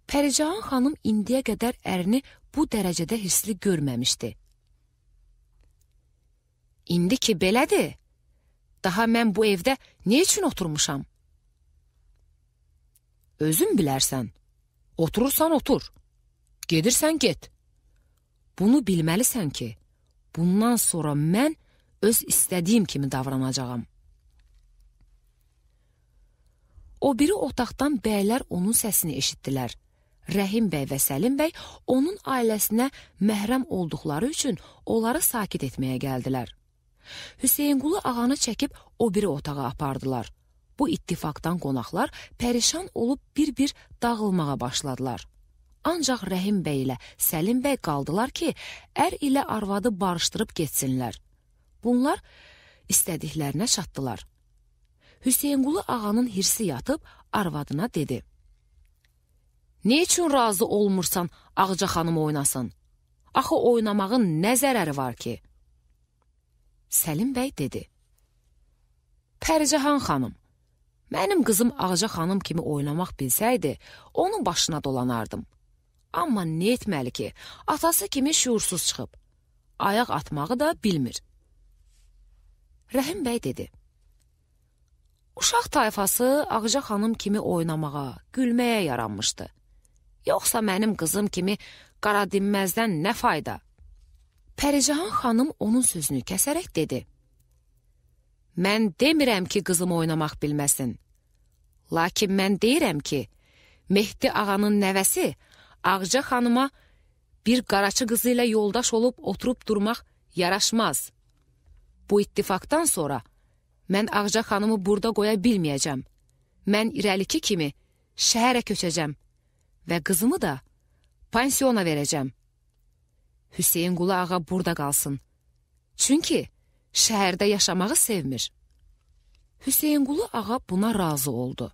Pəricahan xanım indiyə qədər ərini bu dərəcədə hissli görməmişdi. İndi ki belədir, daha mən bu evdə nə üçün oturmuşam? Özün bilərsən, oturursan otur, gedirsən get. Bunu bilməlisən ki, bundan sonra mən öz istədiyim kimi davranacağam. O biri otaqdan bəylər onun səsini eşitdilər. Rəhim bəy və Səlim bəy onun ailəsinə məhrəm olduqları üçün onları sakit etməyə gəldilər. Hüseynqulu ağanı çəkib o biri otağa apardılar. Bu ittifaqdan qonaqlar pərişan olub bir-bir dağılmağa başladılar. Ancaq Rəhim bəy ilə Səlim bəy qaldılar ki, ər ilə arvadı barışdırıb getsinlər. Bunlar istədiklərinə çatdılar. Hüseynqulu ağanın hirsi yatıb arvadına dedi: "Ne üçün razı olmursan Ağca xanım oynasın? Axı oynamağın nə zərəri var ki?" Səlim bəy dedi: "Pəricahan xanım, mənim qızım Ağca xanım kimi oynamaq bilsəydi, onun başına dolanardım. Amma nə etməli ki, atası kimi şuursuz çıxıb, ayaq atmağı da bilmir." Rəhim bəy dedi: "Uşaq tayfası Ağca xanım kimi oynamağa, gülməyə yaranmışdı. Yoxsa mənim qızım kimi qara dinməzdən nə fayda?" Pəricahan xanım onun sözünü kəsərək dedi: "Mən demirəm ki, qızım oynamaq bilməsin. Lakin mən deyirəm ki, Mehdi ağanın nəvəsi Ağca xanıma bir qaraçı qızı ilə yoldaş olub oturub durmaq yaraşmaz. Bu ittifaqdan sonra mən Ağca xanımı burada qoya bilməyəcəm. Mən irəliki kimi şəhərə köçəcəm və qızımı da pansiyona verəcəm. Hüseynqulu ağa burada qalsın. Çünki şəhərdə yaşamağı sevmir." Hüseynqulu ağa buna razı oldu.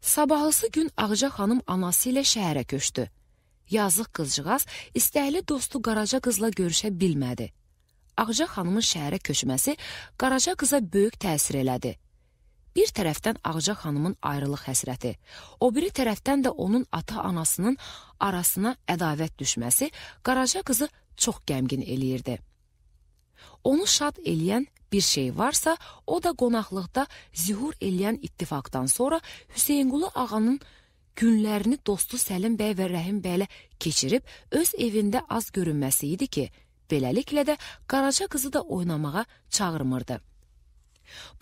Sabahlısı gün Ağca xanım anası ilə şəhərə köçdü. Yazıq qızcığaz istəkli dostu Qaraca qızla görüşə bilmədi. Ağca xanımın şəhərə köçməsi Qaraca qıza böyük təsir elədi. Bir tərəfdən Ağca xanımın ayrılıq həsrəti, o biri tərəfdən də onun ata-anasının arasına ədavət düşməsi Qaraca qızı çox qəmgin eləyirdi. Onu şad eləyən bir şey varsa, o da qonaqlıqda zühur eləyən ittifaqdan sonra Hüseynqulu ağanın günlərini dostu Səlim bəy və Rəhim bəylə keçirib öz evində az görünməsi idi ki, beləliklə də Qaraca qızı da oynamağa çağırmırdı.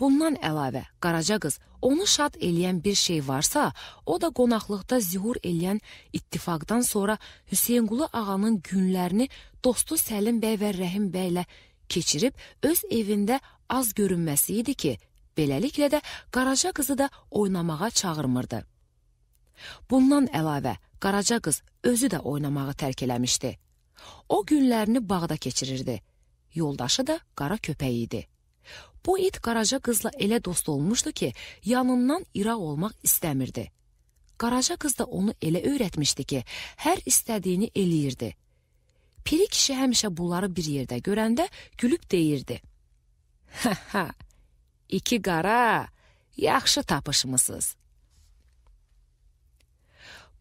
Bundan əlavə, Qaraca qız onu şad eləyən bir şey varsa, o da qonaqlıqda zühur eləyən ittifaqdan sonra Hüseynqulu ağanın günlərini dostu Səlim bəy və Rəhim bəylə keçirib öz evində az görünməsi idi ki, beləliklə də Qaraca qızı da oynamağa çağırmırdı. Bundan əlavə, Qaraca qız özü də oynamağı tərk eləmişdi. O günlərini bağda keçirirdi. Yoldaşı da qara köpək idi. Bu it Qaraca qızla elə dost olmuşdu ki, yanından iraq olmaq istəmirdi. Qaraca qız da onu elə öyrətmişdi ki, hər istədiyini eləyirdi. Piri kişi həmişə bunları bir yerdə görəndə gülüb deyirdi: "Hə hə, iki qara, yaxşı tapışmısınız."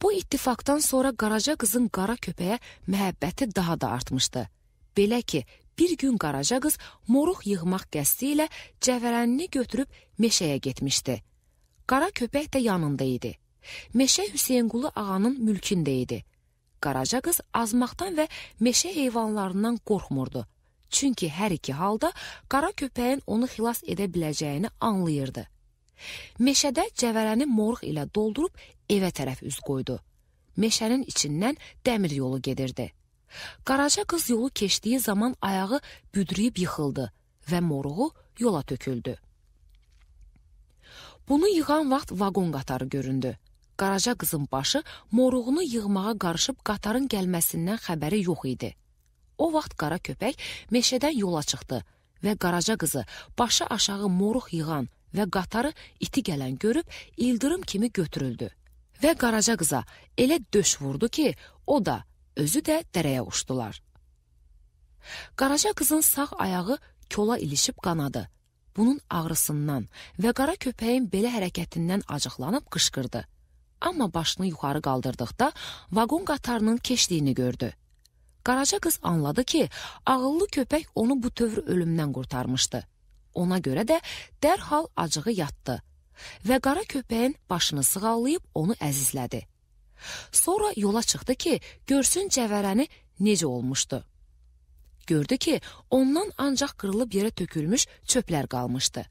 Bu ittifaqdan sonra Qaraca qızın qara köpəyə məhəbbəti daha da artmışdı. Belə ki, bir gün Qaraca qız moruq yığmaq qəsdi ilə cəvərənini götürüb meşəyə getmişdi. Qara köpək də yanında idi. Meşə Hüseynqulu ağanın mülkündə idi. Qaraca qız azmaqdan və meşə heyvanlarından qorxmurdu. Çünki hər iki halda qara köpəyin onu xilas edə biləcəyini anlayırdı. Meşədə cəvərəni moruq ilə doldurub evə tərəf üz qoydu. Meşənin içindən dəmir yolu gedirdi. Qaraca qız yolu keçdiyi zaman ayağı büdrüyüb yıxıldı və moruğu yola töküldü. Bunu yığan vaxt vaqon qatarı göründü. Qaraca qızın başı moruğunu yığmağa qarışıb qatarın gəlməsindən xəbəri yox idi. O vaxt qara köpək meşədən yola çıxdı və Qaraca qızı başı aşağı moruq yığan və qatarı iti gələn görüb ildırım kimi götürüldü. Və Qaraca qıza elə döş vurdu ki, o da, özü də dərəyə uçdular. Qaraca qızın sağ ayağı kola ilişib qanadı. Bunun ağrısından və qara köpəyin belə hərəkətindən acıqlanıb qışqırdı. Amma başını yuxarı qaldırdıqda vaqon qatarının keçdiyini gördü. Qaraca qız anladı ki, ağıllı köpək onu bu tövr ölümdən qurtarmışdı. Ona görə də dərhal acığı yatdı və qara köpəyin başını sığallayıb onu əzizlədi. Sonra yola çıxdı ki, görsün cəvərəni necə olmuşdu. Gördü ki, ondan ancaq qırılıb yerə tökülmüş çöplər qalmışdı.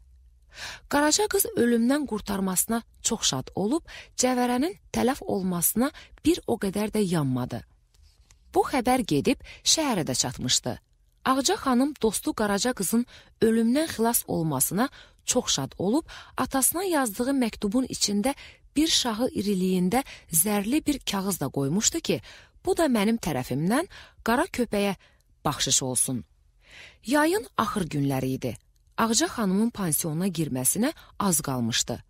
Qaraca qız ölümdən qurtarmasına çox şad olub, cəvərənin tələf olmasına bir o qədər də yanmadı. Bu xəbər gedib şəhərə də çatmışdı. Ağca xanım dostu Qaraca qızın ölümdən xilas olmasına çox şad olub, atasına yazdığı məktubun içində bir şahı iriliyində zərli bir kağız da qoymuşdu ki, bu da mənim tərəfimdən qara köpəyə baxşış olsun. Yayın axır günləri idi. Ağca xanımın pansiyona girməsinə az qalmışdı.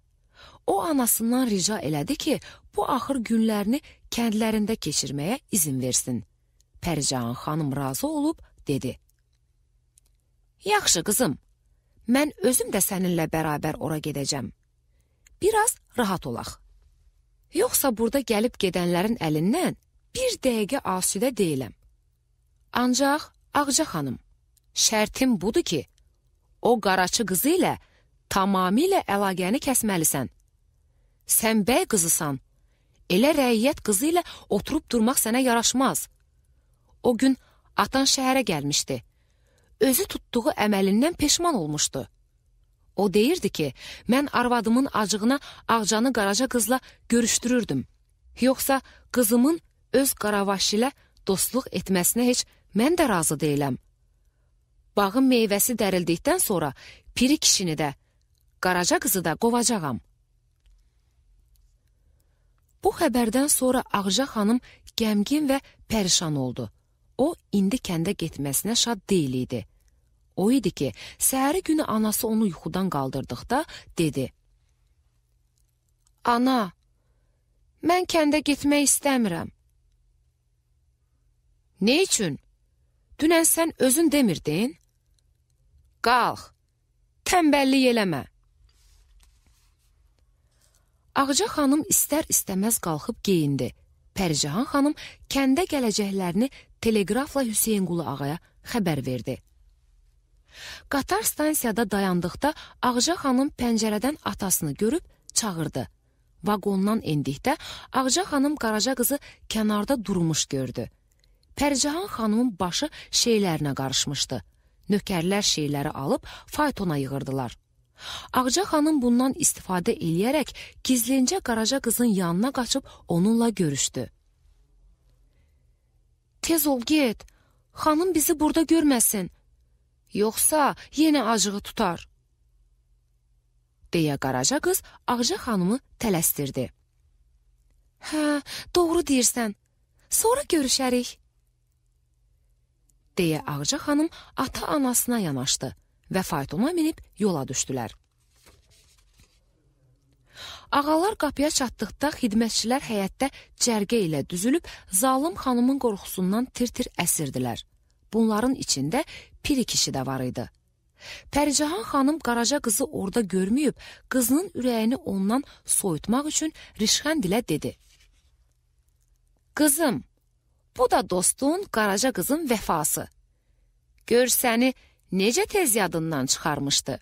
O anasından rica elədi ki, bu axır günlərini kəndlərində keçirməyə izin versin. Pəricahan xanım razı olub dedi: "Yaxşı qızım, mən özüm də səninlə bərabər ora gedəcəm. Biraz rahat olaq. Yoxsa burada gəlib gedənlərin əlindən bir dəqiqə asudə deyiləm. Ancaq Ağca xanım, şərtim budur ki, o qaraçı qızı ilə tamamilə əlaqəni kəsməlisən. Sən bəy qızısan, elə rəiyyət qızı ilə oturub durmaq sənə yaraşmaz. O gün atan şəhərə gəlmişdi. Özü tutduğu əməlindən peşman olmuşdu. O deyirdi ki, mən arvadımın acığına Ağcanı Qaraca qızla görüşdürürdüm. Yoxsa qızımın öz Qaravaş ilə dostluq etməsinə heç mən də razı deyiləm. Bağın meyvəsi dərildikdən sonra piri kişini də, Qaraca qızı da qovacağam." Bu xəbərdən sonra Ağca xanım qəmgin və pərişan oldu. O, indi kəndə getməsinə şad deyil idi. O idi ki, səhəri günü anası onu yuxudan qaldırdıqda dedi: "Ana, mən kəndə getmək istəmirəm." "Nə üçün? Dünən sən özün demirdin? Qalx, tənbəllik eləmə." Ağca xanım istər-istəməz qalxıb geyindi. Pəricahan xanım kəndə gələcəklərini teleqrafla Hüseynqulu ağaya xəbər verdi. Qatar stansiyada dayandıqda Ağca xanım pəncərədən atasını görüb çağırdı. Vaqondan endikdə Ağca xanım Qaraca qızı kənarda durmuş gördü. Pəricahan xanımın başı şeylərinə qarışmışdı. Nökərlər şeyləri alıb faytona yığırdılar. Ağca xanım bundan istifadə eləyərək gizlincə Qaraca qızın yanına qaçıb onunla görüşdü. "Tez ol, get, xanım bizi burada görməsin. Yoxsa yenə acığı tutar," deyə Qaraca qız Ağca xanımı tələstirdi. "Hə, doğru deyirsən, sonra görüşərik," deyə Ağca xanım ata-anasına yanaşdı və faytona minib yola düşdülər. Ağalar qapıya çatdıqda xidmətçilər həyətdə cərgə ilə düzülüb zalım xanımın qorxusundan tir-tirəsirdilər. Bunların içində piri kişi də var idi. Pəricahan xanım Qaraca qızı orada görməyib, qızının ürəyini ondan soyutmaq üçün rişxənd ilə dedi: "Qızım, bu da dostun Qaraca qızın vəfası. Gör səni necə tez yadından çıxarmışdı."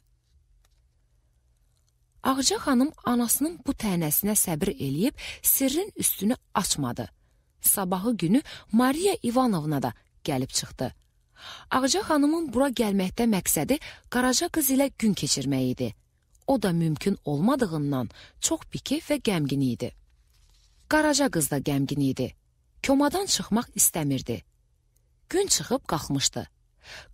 Ağca xanım anasının bu tənəsinə səbir eləyib sirrin üstünü açmadı. Sabahı günü Mariya İvanovna da gəlib çıxdı. Ağca xanımın bura gəlməkdə məqsədi Qaraca qız ilə gün keçirmək idi. O da mümkün olmadığından çox bikef və qəmgin idi. Qaraca qız da qəmgin idi. Komadan çıxmaq istəmirdi. Gün çıxıb qalxmışdı.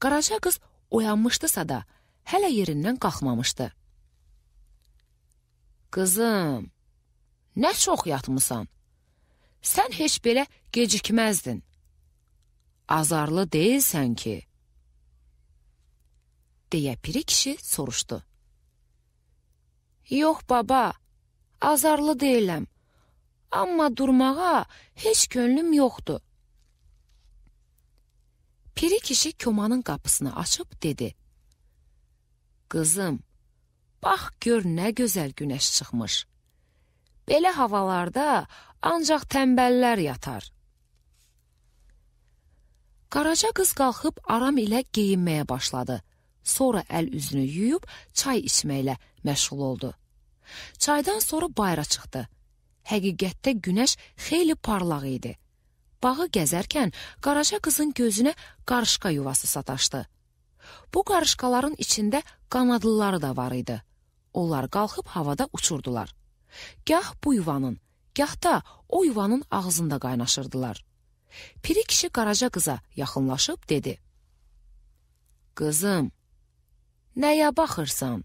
Qaraca qız oyanmışdısa da hələ yerindən qalxmamışdı. "Qızım, nə çox yatmısan? Sən heç belə gecikməzdin. Azarlı deyilsən ki," deyə piri kişi soruşdu. "Yox baba, azarlı deyiləm. Amma durmağa heç könlüm yoxdur." Piri kişi komanın qapısını açıb dedi: "Qızım, bax gör nə gözəl günəş çıxmış. Belə havalarda ancaq tənbəllər yatar." Qaraca qız qalxıb aram ilə geyinməyə başladı. Sonra əl üzünü yuyub çay içməklə məşğul oldu. Çaydan sonra bayıra çıxdı. Həqiqətdə günəş xeyli parlaq idi. Bağı gəzərkən Qaraca qızın gözünə qarışqa yuvası sataşdı. Bu qarışqaların içində qanadlıları da var idi. Onlar qalxıb havada uçurdular. Gah bu yuvanın, gah da o yuvanın ağzında qaynaşırdılar. Piri kişi Qaraca qıza yaxınlaşıb dedi: "Qızım, nəyə baxırsan?"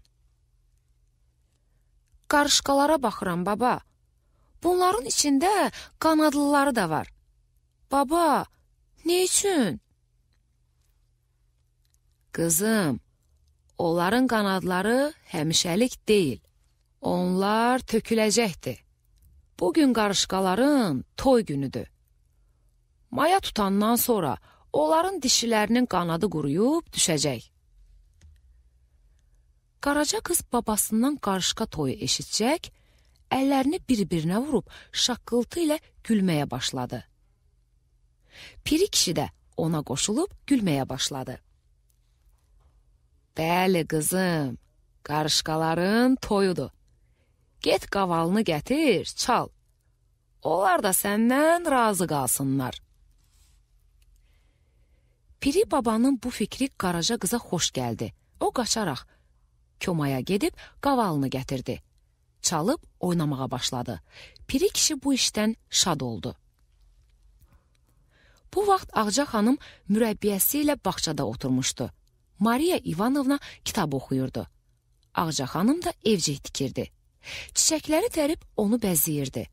"Qarışqalara baxıram, baba. Bunların içində qanadlıları da var. Baba, nə üçün?" "Qızım, onların qanadları həmişəlik deyil. Onlar töküləcəkdir. Bugün qarışqaların toy günüdür. Maya tutandan sonra onların dişilərinin qanadı quruyub düşəcək." Qaraca qız babasından qarışqa toyu eşitcək, əllərini bir-birinə vurub şaqqıltı ilə gülməyə başladı. Piri kişi də ona qoşulub gülməyə başladı. "Bəli qızım, qarışqaların toyudur. Get qavalını gətir, çal. Onlar da səndən razı qalsınlar." Piri babanın bu fikri Qaraca qıza xoş gəldi. O qaçaraq komaya gedib qavalını gətirdi. Çalıb oynamağa başladı. Piri kişi bu işdən şad oldu. Bu vaxt Ağca xanım mürəbbiyəsi ilə bağçada oturmuşdu. Mariya İvanovna kitab oxuyurdu. Ağca xanım da evcik tikirdi. Çiçəkləri tərib onu bəzəyirdi.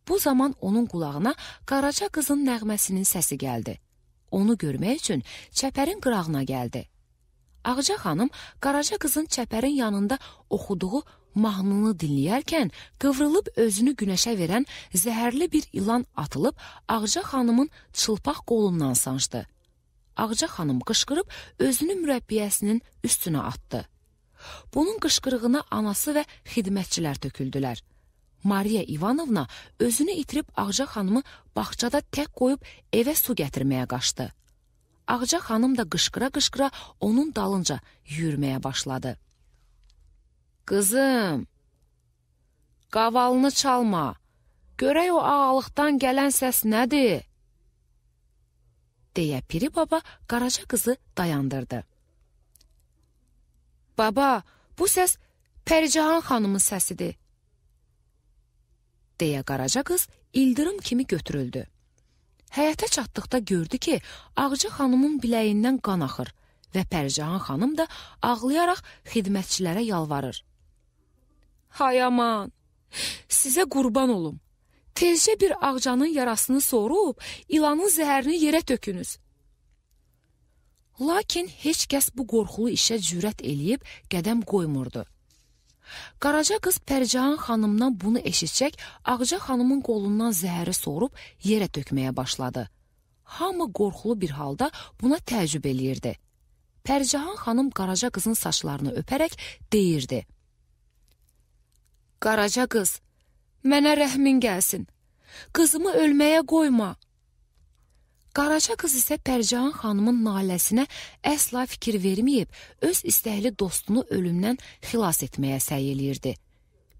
Bu zaman onun qulağına Qaraca qızın nəğməsinin səsi gəldi. Onu görmək üçün çəpərin qırağına gəldi. Ağca xanım Qaraca qızın çəpərin yanında oxuduğu mahnını dinləyərkən qıvrılıb özünü günəşə verən zəhərli bir ilan atılıb Ağca xanımın çılpaq qolundan sancdı. Ağca xanım qışqırıb özünü mürəbbiyəsinin üstünə atdı. Bunun qışqırığına anası və xidmətçilər töküldülər. Mariya İvanovna özünü itirib Ağca xanımı bağçada tək qoyub evə su gətirməyə qaçdı. Ağca xanım da qışqıra-qışqıra onun dalınca yürüməyə başladı. "Qızım, qavalını çalma. Görək o ağalıqdan gələn səs nədir?" deyə Piri baba Qaraca qızı dayandırdı. "Baba, bu səs Pəricahan xanımın səsidir," deyə Qaraca qız ildırım kimi götürüldü. Həyətə çatdıqda gördü ki, Ağca xanımın biləyindən qan axır və Pəricahan xanım da ağlayaraq xidmətçilərə yalvarır. "Hay aman, sizə qurban olum. Tezcə bir ağcanın yarasını sorub, ilanın zəhərini yerə tökünüz." Lakin heç kəs bu qorxulu işə cürət eləyib qədəm qoymurdu. Qaraca qız Pəricahan xanımdan bunu eşitcək, Ağca xanımın qolundan zəhəri sorub yerə tökməyə başladı. Hamı qorxulu bir halda buna təəccüb eləyirdi. Pəricahan xanım Qaraca qızın saçlarını öpərək deyirdi: "Qaraca qız, mənə rəhmin gəlsin. Qızımı ölməyə qoyma." Qaraca qız isə Pəricahan xanımın naləsinə əsla fikir verməyib, öz istəkli dostunu ölümdən xilas etməyə səy eləyirdi.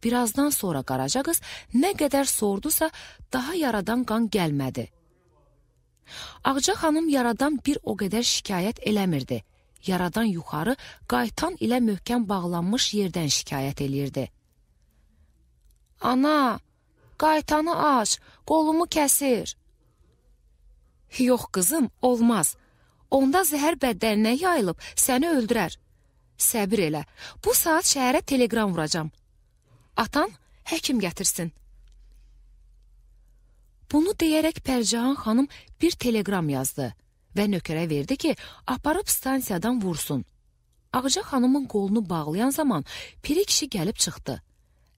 Birazdan sonra Qaraca qız nə qədər sordusa, daha yaradan qan gəlmədi. Ağca xanım yaradan bir o qədər şikayət eləmirdi. Yaradan yuxarı qaytan ilə möhkəm bağlanmış yerdən şikayət eləyirdi. "Ana, qaytanı aç, qolumu kəsir." "Yox qızım, olmaz. Onda zəhər bədəninə yayılıb səni öldürər. Səbir elə, bu saat şəhərə telegram vuracam. Atan həkim gətirsin." Bunu deyərək Pəricahan xanım bir telegram yazdı və nökərə verdi ki, aparıb stansiyadan vursun. Ağca xanımın qolunu bağlayan zaman Piri kişi gəlib çıxdı.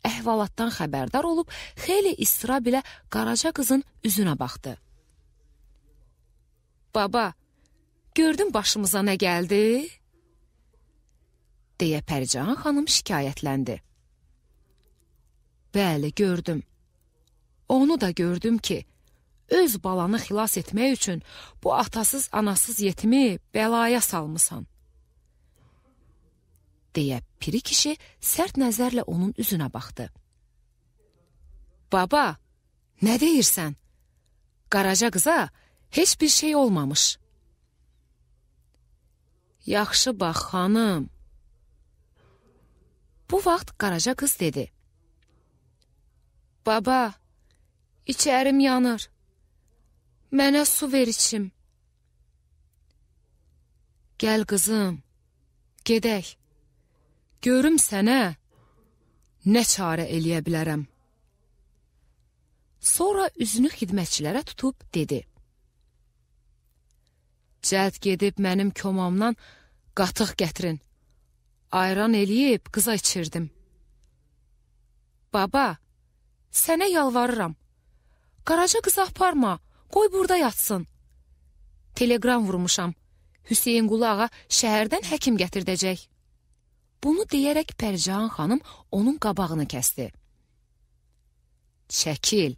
Əhvalatdan xəbərdar olub, xeyli istirab ilə Qaraca qızın üzünə baxdı. "Baba, gördün başımıza nə gəldi?" deyə Pəricahan xanım şikayətləndi. "Bəli, gördüm. Onu da gördüm ki, öz balanı xilas etmək üçün bu atasız, anasız yetimi bəlaya salmısan," deyə Piri kişi sərt nəzərlə onun üzünə baxdı. "Baba, Nə deyirsən? Qaraca qıza heç bir şey olmamış. Yaxşı bax, xanım. Bu vaxt Qaraca qız dedi. Baba, içərim yanır. Mənə su ver içim. Gəl qızım, gedək. Görüm sənə nə çarə eləyə bilərəm. Sonra üzünü xidmətçilərə tutub dedi. Cəld gedib mənim komamdan qatıq gətirin. Ayran eləyib qıza içirdim. Baba, sənə yalvarıram. Qaraca qızı aparma, qoy burada yatsın. Telegram vurmuşam. Hüseynqulu ağa şəhərdən həkim gətirdəcək. Bunu deyərək Pərcahan xanım onun qabağını kəsdi. Çəkil.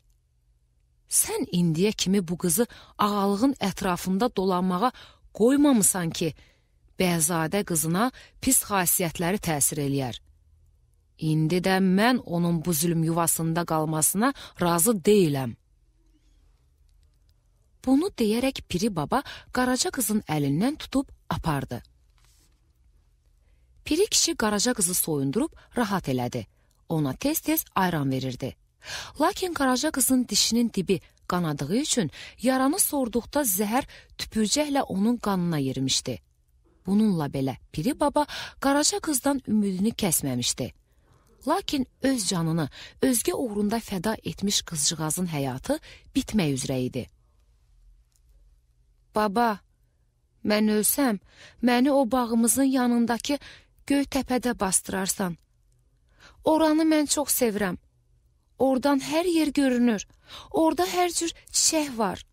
Sən indiyə kimi bu qızı ağalığın ətrafında dolanmağa qoymamısan ki, Bəhzadə qızına pis xasiyyətləri təsir eləyər. İndi də mən onun bu zülm yuvasında qalmasına razı deyiləm. Bunu deyərək Piri baba Qaraca qızın əlindən tutub apardı. Piri kişi Qaraca qızı soyundurub rahat elədi. Ona tez-tez ayran verirdi. Lakin Qaraca qızın dişinin dibi qanadığı üçün yaranı sorduqda zəhər tüpürcəklə onun qanına yerimişdi. Bununla belə Piri baba Qaraca qızdan ümidini kəsməmişdi. Lakin öz canını özgə uğrunda fəda etmiş qızcığazın həyatı bitmək üzrə idi. Baba, mən ölsəm, məni o bağımızın yanındakı Göytəpədə bastırarsan. Oranı mən çox sevirəm. Oradan hər yer görünür. Orada hər cür çiçək var.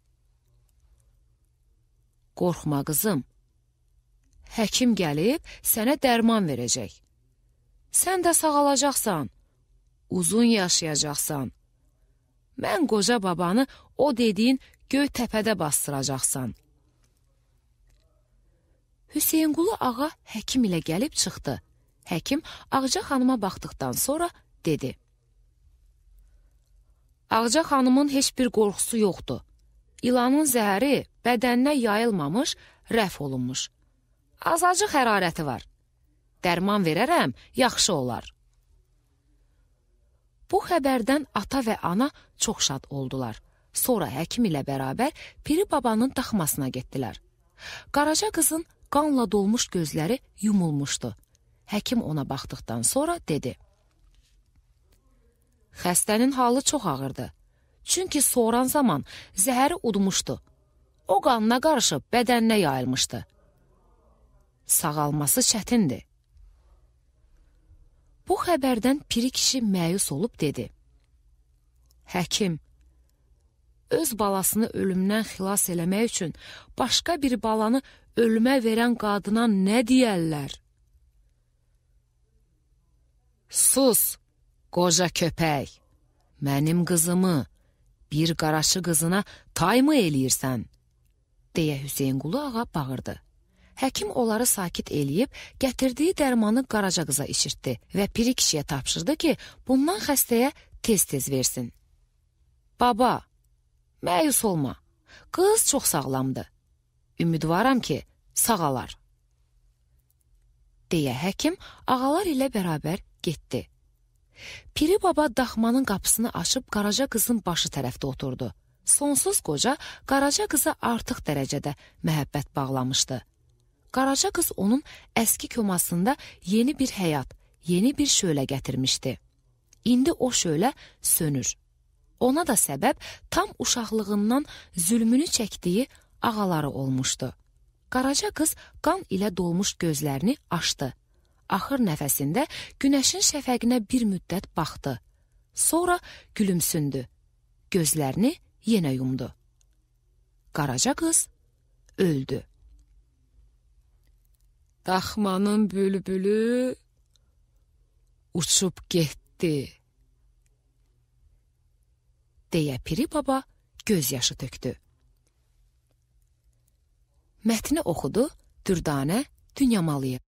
Qorxma qızım. Həkim gəlib sənə dərman verəcək. Sən də sağalacaqsan. Uzun yaşayacaqsan. Mən qoca babanı o dediyin Göytəpədə bastıracaqsan. Hüseynqulu ağa həkim ilə gəlib çıxdı. Həkim Ağca xanıma baxdıqdan sonra dedi. Ağca xanımın heç bir qorxusu yoxdur. İlanın zəhəri bədəninə yayılmamış, rəf olunmuş. Azacıq hərarəti var. Dərman verərəm, yaxşı olar. Bu xəbərdən ata və ana çox şad oldular. Sonra həkim ilə bərabər Piri babanın daxmasına getdilər. Qaraca qızın qanla dolmuş gözləri yumulmuşdu. Həkim ona baxdıqdan sonra dedi. Xəstənin halı çox ağırdı. Çünki soğuran zaman zəhəri udmuşdu. O qanına qarışıb bədəninə yayılmışdı. Sağalması çətindir. Bu xəbərdən Piri kişi məyus olub dedi. Həkim, öz balasını ölümdən xilas eləmək üçün başqa bir balanı ölümə verən qadına nə deyərlər? Sus, qoca köpək, mənim qızımı, bir qaraşı qızına tay mı eləyirsən? Deyə Hüseynqulu ağa bağırdı. Həkim onları sakit eləyib, gətirdiyi dərmanı Qaraca qıza içirtdi və Piri kişiyə tapşırdı ki, bundan xəstəyə tez-tez versin. Baba, məyus olma, qız çox sağlamdır. Ümidvaram ki, sağalar. Deyə həkim ağalar ilə bərabər getdi. Piri baba daxmanın qapısını açıb Qaraca qızın başı tərəfdə oturdu. Sonsuz qoca Qaraca qıza artıq dərəcədə məhəbbət bağlamışdı. Qaraca qız onun əski komasında yeni bir həyat, yeni bir şölə gətirmişdi. İndi o şölə sönür. Ona da səbəb tam uşaqlığından zülmünü çəkdiyi ağaları olmuşdu. Qaraca qız qan ilə dolmuş gözlərini açdı. Axır nəfəsində günəşin şəfəqinə bir müddət baxdı. Sonra gülümsündü. Gözlərini yenə yumdu. Qaraca qız öldü. Daxmanın bülbülü uçub getdi. Deyə Piri baba göz yaşı tökdü. Mətni oxudu Dürdanə Dünyamalıyev.